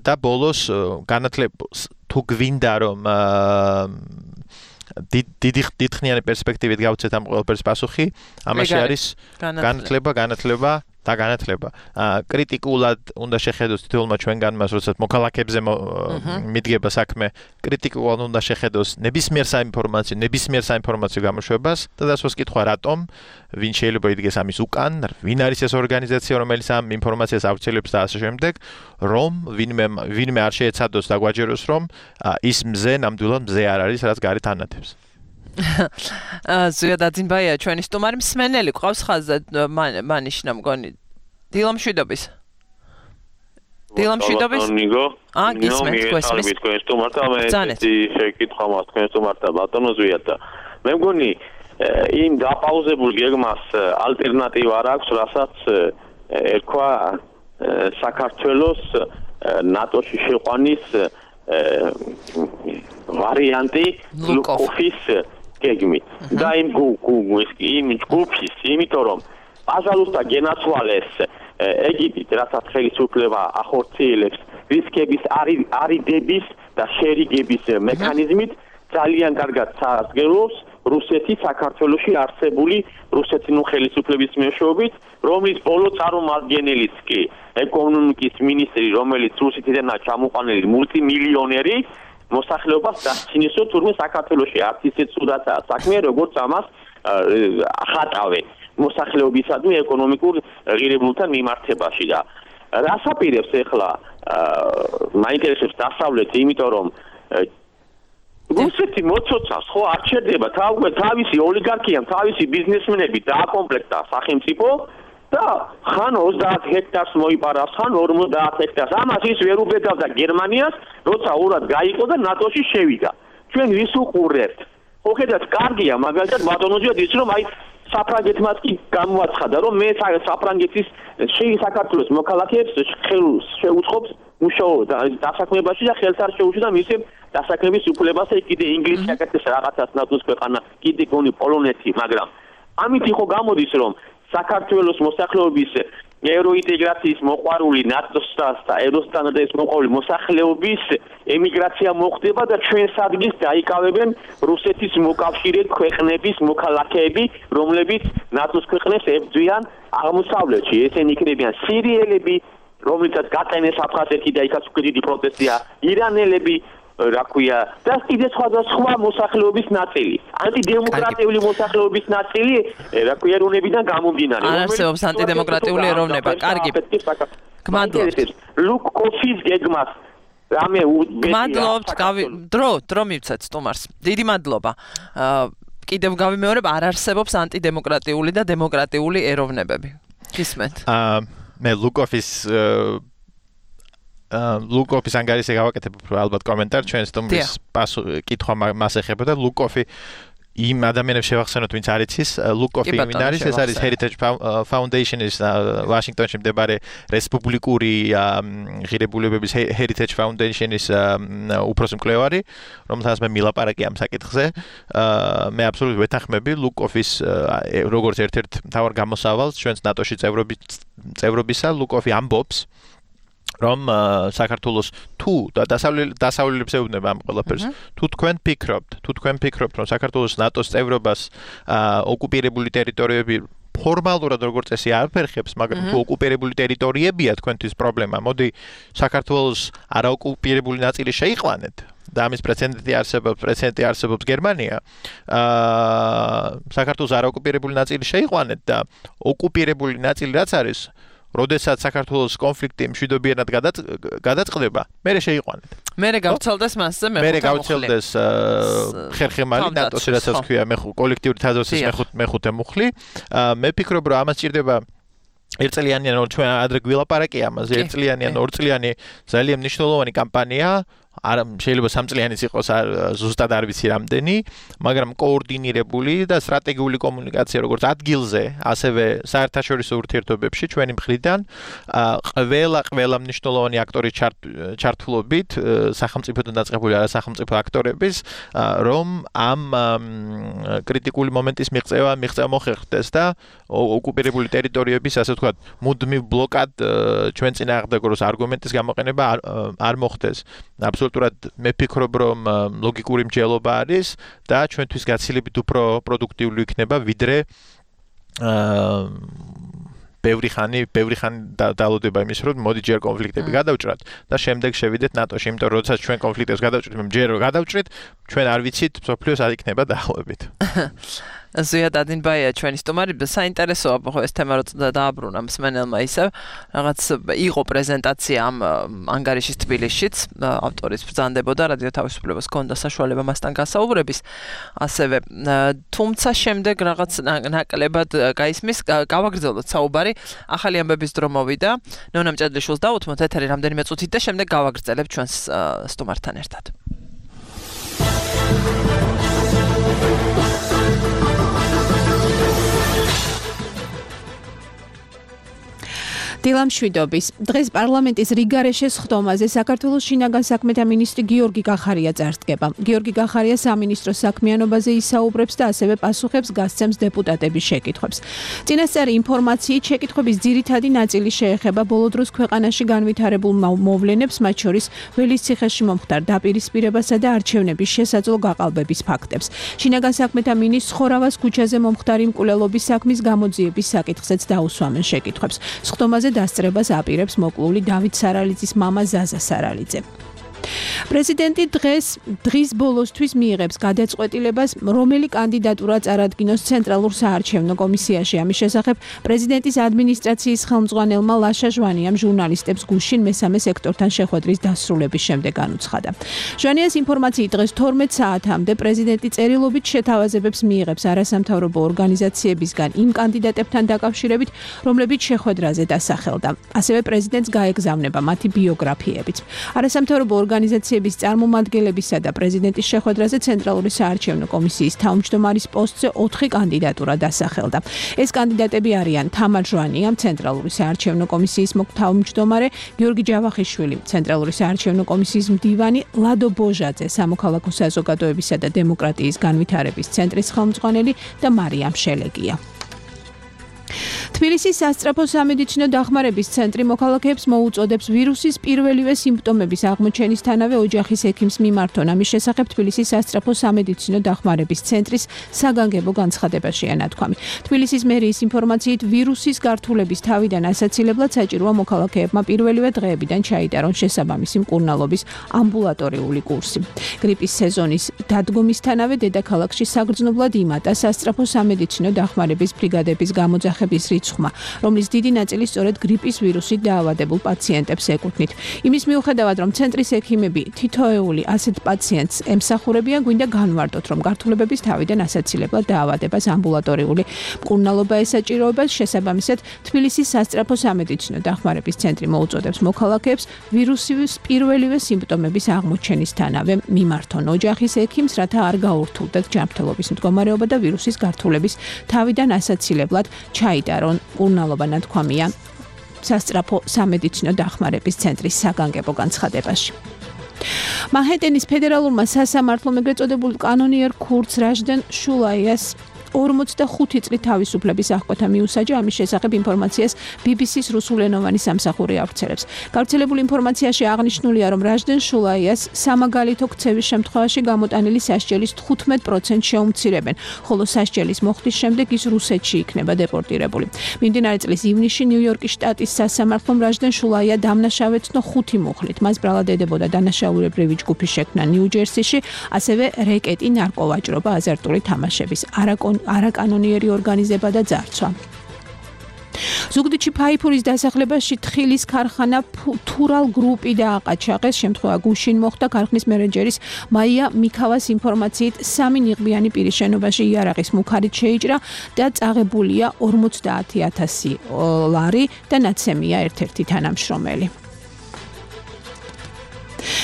და ბოლოს განათლებას თუ გვინდა რომ დიდი დიდხნიანი პერსპექტივით გავცეთ ამ ყველაფერს პასუხი, ამაში არის განათლება, განათლება და განათლება. კრიტიკულად უნდა შეხედოს თითოეულმა ჩვენგანმას, როდესაც მოქალაქეებზე მიდგება საქმე, კრიტიკულად უნდა შეხედოს ნებისმიერ საინფორმაციო, ნებისმიერ საინფორმაციო გამოშვებას და დასვას კითხვა რატომ, ვინ შეიძლება იდგეს ამის უკან, ვინ არის ეს ორგანიზაცია, რომელიც ამ ინფორმაციას ავრცელებს და ასე შემდეგ, რომ ვინმე ვინმე არ შეეცადოს და გვაჯეროს, რომ ის მზე ნამდვილად მზე არ არის, რაც გარეთ ანათებს. ზუია დაძინბაია ჩვენი სტუმარი მსმენელი ყავს ხაზზე მანიშნა მგონი დილამშვიდობის დილამშვიდობის ა გისმენთ გესმის თქვენ სტუმართა მე ესეთი შეკითხვა მაქვს თქვენ სტუმართა ბატონო ზუია და მე მგონი იმ დაპაუზებულ გეგმას ალტერნატივა არ აქვს რასაც ერქვა საქართველოს ნატოში შეყვანის ვარიანტი ლუკოფის გეგმით და იმ იმ ჯგუფის იმიტომ რომ პაჟალუსტა გენაცვალეს ეგვიპტით რასაც ხელისუფლება ახორციელებს რისკების არიდების და შერიგების მექანიზმით ძალიან კარგად საარსგებლობს რუსეთი საქართველოში არსებული რუსეთის ნუ ხელისუფლების მეშვეობით რომლის ბოლო წარმომადგენელიც კი ეკონომიკის მინისტრი რომელიც რუსეთიდანაა ჩამოყვანილი მულტიმილიონერი მოსახლეობას დასცინისო თურმე საქართველოში არც ისე ცუდაცაა საქმე როგორც ამას ახატავენ მოსახლეობისადმი ეკონომიკურ ღირებულებთან მიმართებაში და რას აპირებს ახლა მაინტერესებს დასავლეთი იმიტომ რომ რუსეთი მოცოცავს ხო არ ჩერდება თავისი ოლიგარქიამ თავისი ბიზნესმენები დააკომპლექტა სახელმწიფო და ხან ოცდაათ ჰექტარს მოიპარავს ხან ორმოცდაათ ჰექტარს ამას ის ვერ უბედავდა გერმანიას როცა ურად გაიყო და ნატოში შევიდა ჩვენ ვის უყურებთ ხო ხედავთ კარგია მაგალითად ბატონოზია ის რომ აი საფრანგეთმაც კი გამოაცხადა რომ მე საფრანგეთის საქართველოს მოქალაქეებს ხელს შეუწყობს მუშაობა დასაქმებაში და ხელს არ შეუშვიდა მისი დასაქმების უფლებასა კიდე ინგლისი აკეთებს რაღაცას ნატოს ქვეყანა კიდე გონი პოლონეთი მაგრამ ამით იყო გამოდის რომ საქართველოს მოსახლეობის ევროინტეგრაციის მოყვარული ნატოსთან და ევროსტანდარტის მოყვარული მოსახლეობის ემიგრაცია მოხდება და ჩვენს ადგილს დაიკავებენ რუსეთის მოკავშირე ქვეყნების მოქალაქეები რომლებიც ნატოს ქვეყნებს ებრძვიან აღმოსავლეთში ესენი იქნებიან სირიელები რომლითაც გატენეს აფხაზეთი და იქაც უკვე დიდი პროტესტია ირანელები რა ქვია და კიდე სხვადასხვა მოსახლეობის ნაწილი ანტიდემოკრატიული მოსახლეობის ნაწილი რა ქვია ეროვნებიდან გამომდინარე არ არსებობს ანტიდემოკრატიული ეროვნება კარგი გმადლობთ ლუკოფის გეგმას რამე გმადლობთ დრო დრო მივცეთ სტუმარს დიდი მადლობა კიდევ გავიმეორებ არ არსებობს ანტიდემოკრატიული და დემოკრატიული ეროვნებები გისმენთ მე ლუკოფის ლუკოფის ანგარიშზე გავაკეთებ ალბათ კომენტარ ჩვენს სტუმრის კითხვა მას ეხება და ლუკოფი იმ ადამიანებს შევახსენოთ ვინც არ იცის ლუკოფი იმინ არის ეს არის Heritage Foundation ის ვაშინგტონში მდებარე რესპუბლიკური ღირებულებების Heritage Foundation-ის უფროსი მკვლევარი რომელთანაც მე მილაპარაკე ამ საკითხზე მე აბსოლუტურად ვეთანხმები ლუკოფის როგორც ერთ-ერთ მთავარ გამოსავალს ჩვენს ნატოში წევრობისა ლუკოფი ამბობს რომ საქართველოს თუ და დასავლელებს ეუბნება ამ ყველაფერს თუ თქვენ ფიქრობთ თუ თქვენ ფიქრობთ რომ საქართველოს ნატოს წევრობას ოკუპირებული ტერიტორიები ფორმალურად როგორც წესი არ ფერხებს მაგრამ თუ ოკუპირებული ტერიტორიებია თქვენთვის პრობლემა მოდი საქართველოს არაოკუპირებული ნაწილი შეიყვანეთ და ამის პრეცედენტი არსებობს პრეცედენტი არსებობს გერმანია აა საქართველოს არაოკუპირებული ნაწილი შეიყვანეთ და ოკუპირებული ნაწილი რაც არის როდესაც საქართველოს კონფლიქტი მშვიდობიანად გადაწყდება, მერე შეიყვანეთ. მერე გავრცელდეს მასზე მეხუთე მერე გავრცელდეს ხერხემალი ნატოს რასაც ქვია კოლექტიური თაზოსის მეხუთე მუხლი. მე ფიქრობ რომ ამას ჭირდება ერთწლიანი ან ჩვენ ადრე გვილაპარაკე ამაზე ერთწლიანი ან ორწლიანი ძალიან მნიშვნელოვანი კამპანია არ შეიძლება სამწლიანიც იყოს ზუსტად არ ვიცი რამდენი, მაგრამ კოორდინირებული და სტრატეგიული კომუნიკაცია როგორც ადგილზე, ასევე საერთაშორისო ურთიერთობებში ჩვენი მხრიდან ყველა ყველა მნიშვნელოვანი აქტორის ჩართულობით სახელმწიფოდან დაწყებული არასახელმწიფო აქტორების რომ ამ კრიტიკული მომენტის მიღწევა მიღწევა მოხერხდეს და ოკუპირებული ტერიტორიების ასე ვთქვათ მუდმივ ბლოკად ჩვენ წინააღმდეგ როგორც არგუმენტის გამოყენება არ მოხდეს. აბსოლუტურად მე ფიქრობ რომ ლოგიკური მსჯელობა არის და ჩვენთვის გაცილებით უფრო პროდუქტიული იქნება ვიდრე აა ბევრი ხანი ბევრი ხანი დალოდება იმის რომ მოდი ჯერ კონფლიქტები გადავჭრათ და შემდეგ შევიდეთ ნატოში, იმიტომ რომ როდესაც ჩვენ კონფლიქტებს გადავჭრით, ჯერ გადავჭრით, ჩვენ არ ვიცით სოფლიოს არ იქნება დაახლოებით. ზოია დადინბაია ჩვენი სტუმარი, საინტერესოა ხო ეს თემა როცა დააბრუნა მსმენელმა ისევ რაღაც იყო პრეზენტაცია ამ ანგარიშის თბილისშიც, ავტორის ბრძანდებოდა, რადიო თავისუფლებას ჰქონდა საშუალება მასთან გასაუბრების, ასევე თუმცა შემდეგ რაღაც ნაკლებად გაისმის, გავაგრძელოთ საუბარი, ახალი ამბების დრო მოვიდა, ნონა მჭედლიშვილს დავუთმოთ ეთერი რამდენიმე წუთით და შემდეგ გავაგრძელებთ ჩვენს სტუმართან ერთად. დილამშვიდობის. დღეს პარლამენტის რიგარეშეს ხდომაზე საქართველოს შინაგან საქმეთა მინისტრი გიორგი გახარია წარსდგება. გიორგი გახარია სამინისტრო საქმიანობაზე ისაუბრებს და ასევე პასუხებს გასცემს დეპუტატების შეკითხვებს. წინასწარი ინფორმაციით შეკითხვების ძირითადი ნაწილი შეეხება ბოლო დროს ქვეყანაში განვითარებულ მოვლენებს, მათ შორის ველის ციხეში მომხდარ დაპირისპირებასა და არჩევნების შესაძლო გაყალბების ფაქტებს. შინაგან საქმეთა მინისტრს ხორავას ქუჩაზე მომხდარი მკვლელობის საქმის გამოძიების საკითხზეც დაუსვამენ შეკითხვებს. ხდომაზე დასწრებას აპირებს მოკლული დავით სარალიძის მამა ზაზა სარალიძე. პრეზიდენტი დღეს დღის ბოლოსთვის მიიღებს გადაწყვეტილებას, რომელი კანდიდატურა წარადგინოს ცენტრალურ საარჩევნო კომისიაში. ამის შესახებ პრეზიდენტის ადმინისტრაციის ხელმძღვანელმა ლაშა ჟვანიამ ჟურნალისტებს გუშინ მესამე სექტორთან შეხვედრის დასრულების შემდეგ განუცხადა. ჟვანიას ინფორმაციით დღეს თორმეტ საათამდე პრეზიდენტი წერილობით შეთავაზებებს მიიღებს არასამთავრობო ორგანიზაციებისგან იმ კანდიდატებთან დაკავშირებით, რომლებიც შეხვედრაზე დასახელდა. ასევე პრეზიდენტს გაეგზავნება მათი ბიოგრაფიებიც. არასამთავრობო ორგანიზაციების წარმომადგენლებისა და პრეზიდენტის შეხვედრაზე ცენტრალური საარჩევნო კომისიის თავმჯდომარის პოსტზე ოთხი კანდიდატურა დასახელდა. ეს კანდიდატები არიან თამარ ჟვანია, ცენტრალური საარჩევნო კომისიის თავმჯდომარე, გიორგი ჯავახიშვილი, ცენტრალური საარჩევნო კომისიის მდივანი, ლადო ბოჟაძე, სამოქალაქო საზოგადოებისა და დემოკრატიის განვითარების ცენტრის ხელმძღვანელი და მარიამ შელეგია. თბილისის სასწრაფო სამედიცინო დახმარების ცენტრი მოქალაქეებს მოუწოდებს ვირუსის პირველივე სიმპტომების აღმოჩენისთანავე ოჯახის ექიმს მიმართონ. ამის შესახებ თბილისის სასწრაფო სამედიცინო დახმარების ცენტრის საგანგებო განცხადებაშია ნათქვამი. თბილისის მერიის ინფორმაციით ვირუსის გართულების თავიდან ასაცილებლად საჭიროა მოქალაქეებმა პირველივე დღეებიდან ჩაიტარონ შესაბამისი მკურნალობის ამბულატორიული კურსი. გრიპის სეზონის დადგომისთანავე დედაქალაქში საგრძნობლად იმატა სასწრაფო სამედიცინო დახმარების ბრიგადების გამოძახების რიცხვმა, რომლის დიდი ნაწილი სწორედ გრიპის ვირუსით დაავადებულ პაციენტებს ეკუთვნით. იმის მიუხედავად, რომ ცენტრის ექიმები თითოეული ასეთ პაციენტს ემსახურებიან, გვინდა განვარტოთ, რომ გართულებების თავიდან ასაცილებლად დაავადებას ამბულატორიული მკურნალობა ესაჭიროებას. შესაბამისად, თბილისის სასწრაფო სამედიცინო დახმარების ცენტრი მოუწოდებს მოქალაქეებს ვირუსის პირველივე სიმპტომების აღმოჩენისთანავე მიმართონ ოჯახის ექიმს, რათა არ გაურთულდეთ ჯანმრთელობის მდგომარეობა და ვირუსის გართულების თავიდან ასაცილებლად ჩაიტარონ მკურნალობა, ნათქვამია სასწრაფო სამედიცინო დახმარების ცენტრის საგანგებო განცხადებაში. მანჰეტენის ფედერალურმა სასამართლომ ეგრეთ წოდებულ კანონიერ ქურდს რაჟდენ შულაიას ორმოცდახუთი წლით თავისუფლების აღკვეთა მიუსაჯა. ამის შესახებ ინფორმაციას ბი ბი სის რუსულენოვანი სამსახური ავრცელებს. გავრცელებულ ინფორმაციაში აღნიშნულია, რომ რაჟდენ შულაიას სამაგალითო ქცევის შემთხვევაში გამოტანილი სასჯელის თხუთმეტ პროცენტს შეუმცირებენ, ხოლო სასჯელის მოხდის შემდეგ ის რუსეთში იქნება დეპორტირებული. მიმდინარე წლის ივნისში ნიუ-იორკის შტატის სასამართლომ რაჟდენ შულაია დამნაშავეცნო ხუთი მუხლით. მას ბრალად ედებოდა დანაშაულებრივი ჯგუფის შექმნა ნიუ-ჯერსიში, ასევე რეკეტი, ნარკოვაჭრობა, აზარტული თამაშების არაკონ არაკანონიერი ორგანიზება და ძარცვა. ზუგდიდში ფაიფურის დასახლებაში თხილის ქარხანა თურალ გრუპი დააყაჩაღეს. შემთხვევა გუშინ მოხდა. ქარხნის მენეჯერის მაია მიქავას ინფორმაციით სამი ნიღბიანი პირის შენობაში იარაღის მუქარით შეიჭრა და წაღებულია ორმოცდაათი ათასი ლარი და ნაცემია ერთ-ერთი თანამშრომელი.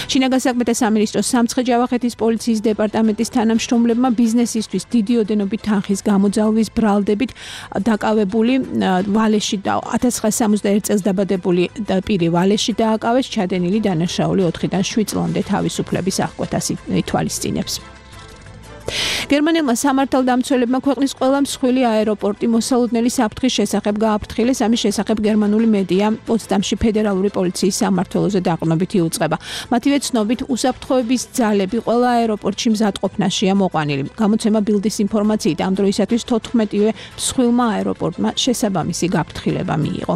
შინაგან საქმეთა სამინისტროს სამცხე-ჯავახეთის პოლიციის დეპარტამენტის თანამშრომლებმა ბიზნესისთვის დიდი ოდენობით თანხის გამოძალვის ბრალდებით დაკავებული ვალეში და ათას ცხრაასი სამოცდაერთი წელს დაბადებული პირი ვალეში დააკავეს. ჩადენილი დანაშაული ოთხიდან შვიდ წლამდე თავისუფლების აღკვეთას ითვალისწინებს. გერმანელმა სამართალდამცველებმა ქვეყნის ყველა მსხვილი აეროპორტი მოსალოდნელი საფრთხის შესახებ გააფრთხილეს. ამის შესახებ გერმანული მედია პოცდამში ფედერალური პოლიციის სამმართველოზე დაყრდნობით იუწყება. მათივე ცნობით, უსაფრთხოების ძალები ყველა აეროპორტში მზადყოფნაშია მოყვანილი. გამოცემა ბილდის ინფორმაციით ამ დროისათვის თოთხმეტივე მსხვილმა აეროპორტმა შესაბამისი გაფრთხილება მიიღო.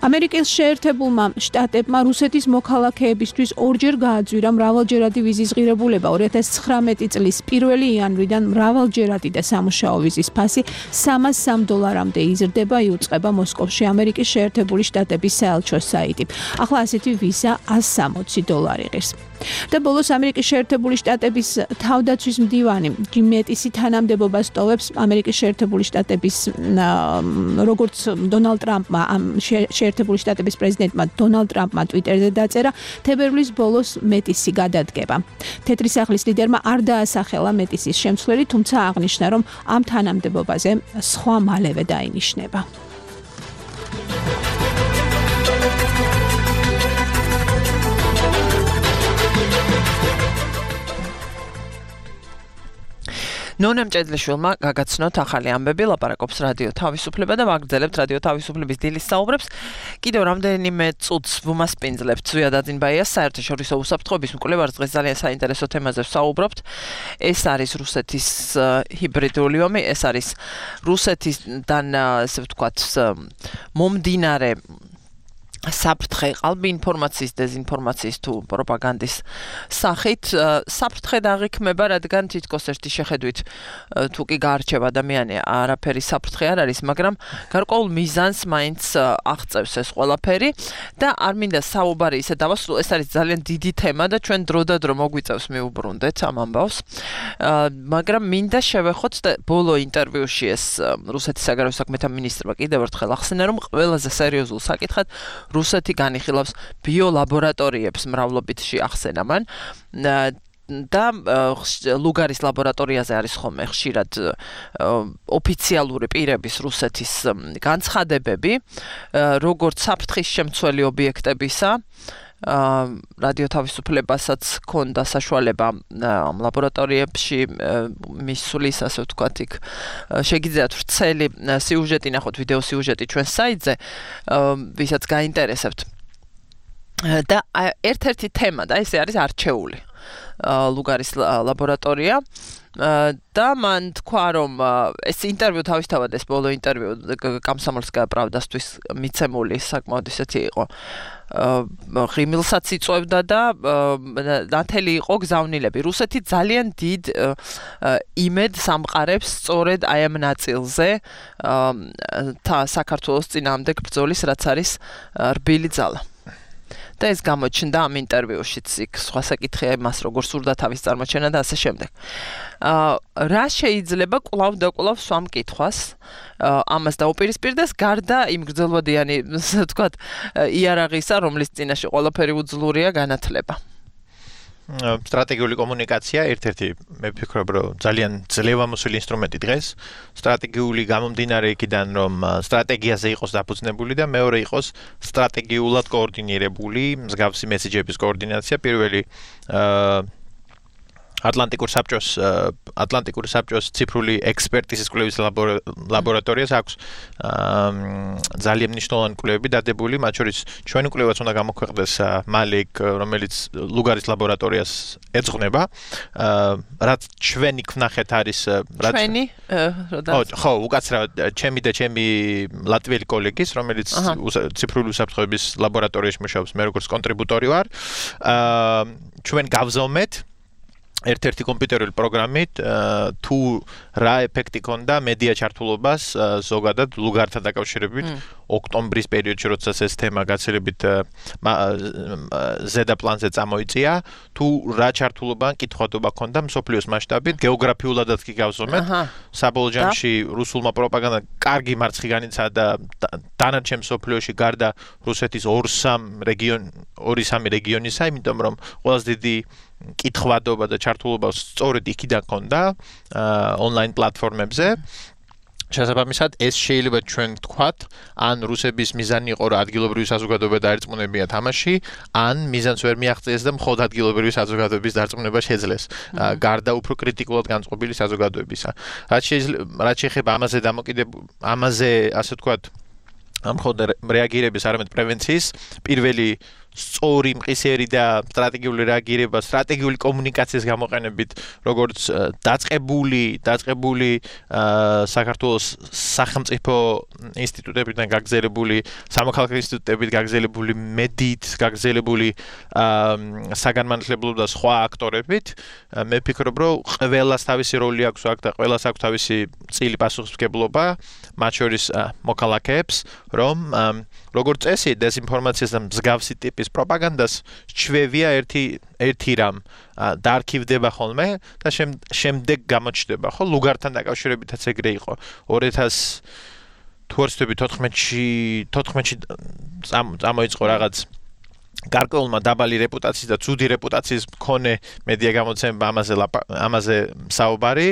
ამერიკის შეერთებულმა შტატებმა რუსეთის მოქალაქეებისთვის ორჯერ გააძვირა მრავალჯერადი ვიზის ღირებულება. ორი ათას ცხრამეტი წლის პირველი იანვრიდან მრავალჯერადი და სამუშაო ვიზის ფასი სამას სამ დოლარამდე იზრდება, იუწყება მოსკოვში ამერიკის შეერთებული შტატების საელჩოს საიტი. ახლა ასეთი ვიზა ას სამოცი დოლარი ღირს. და ბოლოს ამერიკის შეერთებული შტატების თავდაცვის მდივანი ჯიმ მეტისი თანამდებობას ტოვებს ამერიკის შეერთებული შტატების როგორც დონალდ ტრამპმა შეერთებული შტატების პრეზიდენტმა დონალდ ტრამპმა ტვიტერზე დაწერა თებერვლის ბოლოს მეტისი გადადგება. თეთრი სახლის ლიდერმა არ დაასახელა მეტისის შემცვლელი, თუმცა აღნიშნა, რომ ამ თანამდებობაზე სხვა მალევე დაინიშნება. ნონა მჭედლიშვილმა გაგაცნოთ ახალი ამბები, ლაპარაკობს რადიო თავისუფლება და ვაგრძელებთ რადიო თავისუფლების დილის საუბრებს. კიდევ რამდენიმე წუთს ვუმასპინძლებთ ზვიად აძინბაიას საერთაშორისო უსაფრთხოების მკვლევარს. დღეს ძალიან საინტერესო თემაზე ვსაუბრობთ. ეს არის რუსეთის ჰიბრიდული ომი, ეს არის რუსეთიდან, ესე ვთქვათ, მომდინარე საფრთხე ყალბი ინფორმაციის, დეзинფორმაციის თუ პროპაგანდის სახით საფრთხე დაღიქმება, რადგან თითქოს ერთი შეხედვით თუ კი გაარჩევა ადამიანი არაფერი საფრთხე არ არის, მაგრამ გარკვეულ მიზანს მაინც აღწევს ეს ყველაფერი და არ მინდა საუბარი ისე დავასრულო, ეს არის ძალიან დიდი თემა და ჩვენ დროდადრო მოგვიწევს მივუბრუნდეთ ამ ამბავს. მაგრამ მინდა შევეხოთ და ბოლო ინტერვიუში ეს რუსეთის საგარეო საქმეთა მინისტრმა კიდევ ერთხელ ახსენა, რომ ყველაზე სერიოზულ საკითხად რუსეთი განიხილავს ბიოლაბორატორიებს მრავლობითში ახსენა მან და ლუგარის ლაბორატორიაზე არის ხოლმე ხშირად ოფიციალური პირების რუსეთის განცხადებები, როგორც საფრთხის შემცველი ობიექტებისა. რადიო თავისუფლებასაც ქონდა საშუალება ამ ლაბორატორიებში მისulis, ასე ვთქვათ, იქ შეგიძლიათ ვრცელი სიუჟეტი ნახოთ, ვიდეო სიუჟეტი ჩვენ საიტზე, ვისაც გაინტერესებთ. და ერთ-ერთი თემა და ესე არის არჩეული ლუგარის ლაბორატორია. და მან თქვა, რომ ეს ინტერვიუ თავისთავად ეს ბოლო ინტერვიუ კომსომოლსკაია პრავდასთვის მიცემული საკმაოდ ისეთი იყო. ღიმილსაც იწვევდა და ნათელი იყო გზავნილები. რუსეთი ძალიან დიდ იმედს ამყარებს სწორედ აი ამ ნაწილზე საქართველოს წინააღმდეგ ბრძოლის, რაც არის რბილი ძალა. და ეს გამოჩნდა ამ ინტერვიუშიც, იქ სხვა საკითხია იმას, როგორ სურდა თავის წარმოჩენა და ასე შემდეგ. რა შეიძლება კვლავ და კვლავ სვამ კითხვას ამას დაუპირისპირდეს, გარდა იმ გრძელვადიანი, ასე ვთქვათ, იარაღისა, რომლის წინაშე ყველაფერი უძლურია განათლება. სტრატეგიული კომუნიკაცია ერთ-ერთი მე ვფიქრობ, რომ ძალიან ძლევამოსილი ინსტრუმენტი დღეს. სტრატეგიული გამომდინარე იქიდან, რომ სტრატეგიაზე იყოს დაფუძნებული და მეორე იყოს სტრატეგიულად კოორდინირებული მსგავსი მესიჯების კოორდინაცია. პირველი ატლანტიკურ საბჭოს ატლანტიკური საბჭოს ციფრული ექსპერტიზის კვლევის ლაბორატორიას აქვს ძალიან მნიშვნელოვანი კვლევები დადებული, მათ შორის ჩვენი კვლევაც უნდა გამოქვეყნდეს მალე, რომელიც ლუგარის ლაბორატორიას ეძღვნება. რაც ჩვენი ვნახეთ არის რაც ჩვენი ხო, უკაცრავად ჩემი და ჩემი ლატვიელი კოლეგის, რომელიც ციფრული უსაფრთხოების ლაბორატორიაში მუშაობს, მე როგორც კონტრიბუტორი ვარ. ჩვენ გავზომეთ ერთ-ერთი კომპიუტერული პროგრამით თუ რა ეფექტი ქონდა მედია ჩართულობას ზოგადად ლუგართან დაკავშირებით ოქტომბრის პერიოდში, როდესაც ეს თემა გაცილებით ზედა პლანზე წამოიწია, თუ რა ჩართულობა, კითხვადობა ქონდა მსოფლიოს მასშტაბით, გეოგრაფიულადაც კი გავზომეთ. საბოლოო ჯამში რუსულმა პროპაგანდამ კარგი მარცხი განიცადა და დანარჩენ მსოფლიოში გარდა რუსეთის ორ სამ რეგიონ ორი სამი რეგიონისა, იმიტომ რომ ყველაზე დიდი კითხვადობა და ჩართულობა სწორედ იქიდან ქონდა ონლაინ პლატფორმებზე. შესაბამისად, ეს შეიძლება ჩვენ ვთქვათ, ან რუსების მიზანი იყო, რომ ადგილობრივი საზოგადოება დაერწმუნებინა თამაში, ან მიზანს ვერ მიაღწიეს და მხოლოდ ადგილობრივი საზოგადოების დარწმუნება შეძლეს, გარდა უფრო კრიტიკულად განწყობილი საზოგადოებისა. რაც რაც შეეხება ამაზე დამოკიდებული, ამაზე, ასე ვთქვათ, ამ მხოლოდ რეაგირების, არამედ პრევენციის, პირველი სწორი, მყისიერი და სტრატეგიული რეაგირება, სტრატეგიული კომუნიკაციის გამოყენებით, როგორც დაწყებული, დაწყებული საქართველოს სახელმწიფო ინსტიტუტებიდან გაგზელებული, სამოქალაქო ინსტიტუტებით გაგზელებული, მედიით გაგზელებული საგანმანათლებლო და სხვა აქტორებით, მე ვფიქრობ, რომ ყველას თავისი როლი აქვს აქ და ყველას აქვს თავისი წილი პასუხისმგებლობა, მათ შორის მოქალაქეებს, რომ როგორც წესი დეზინფორმაციას და მსგავსი ტიპის პროპაგანდას ჩვევია ერთი ერთი რამ დაარქივდება ხოლმე და შემდეგ გამოჩნდება, ხო? ლუგართან დაკავშირებითაც ეგრე იყო. ორი ათას თუ არ ვცდები თოთხმეტში თოთხმეტში წამოიწყო რაღაც გარკვეულმა დაბალი რეპუტაციის და ცუდი რეპუტაციის მქონე მედია გამოცემა ამაზე ამაზე საუბარი,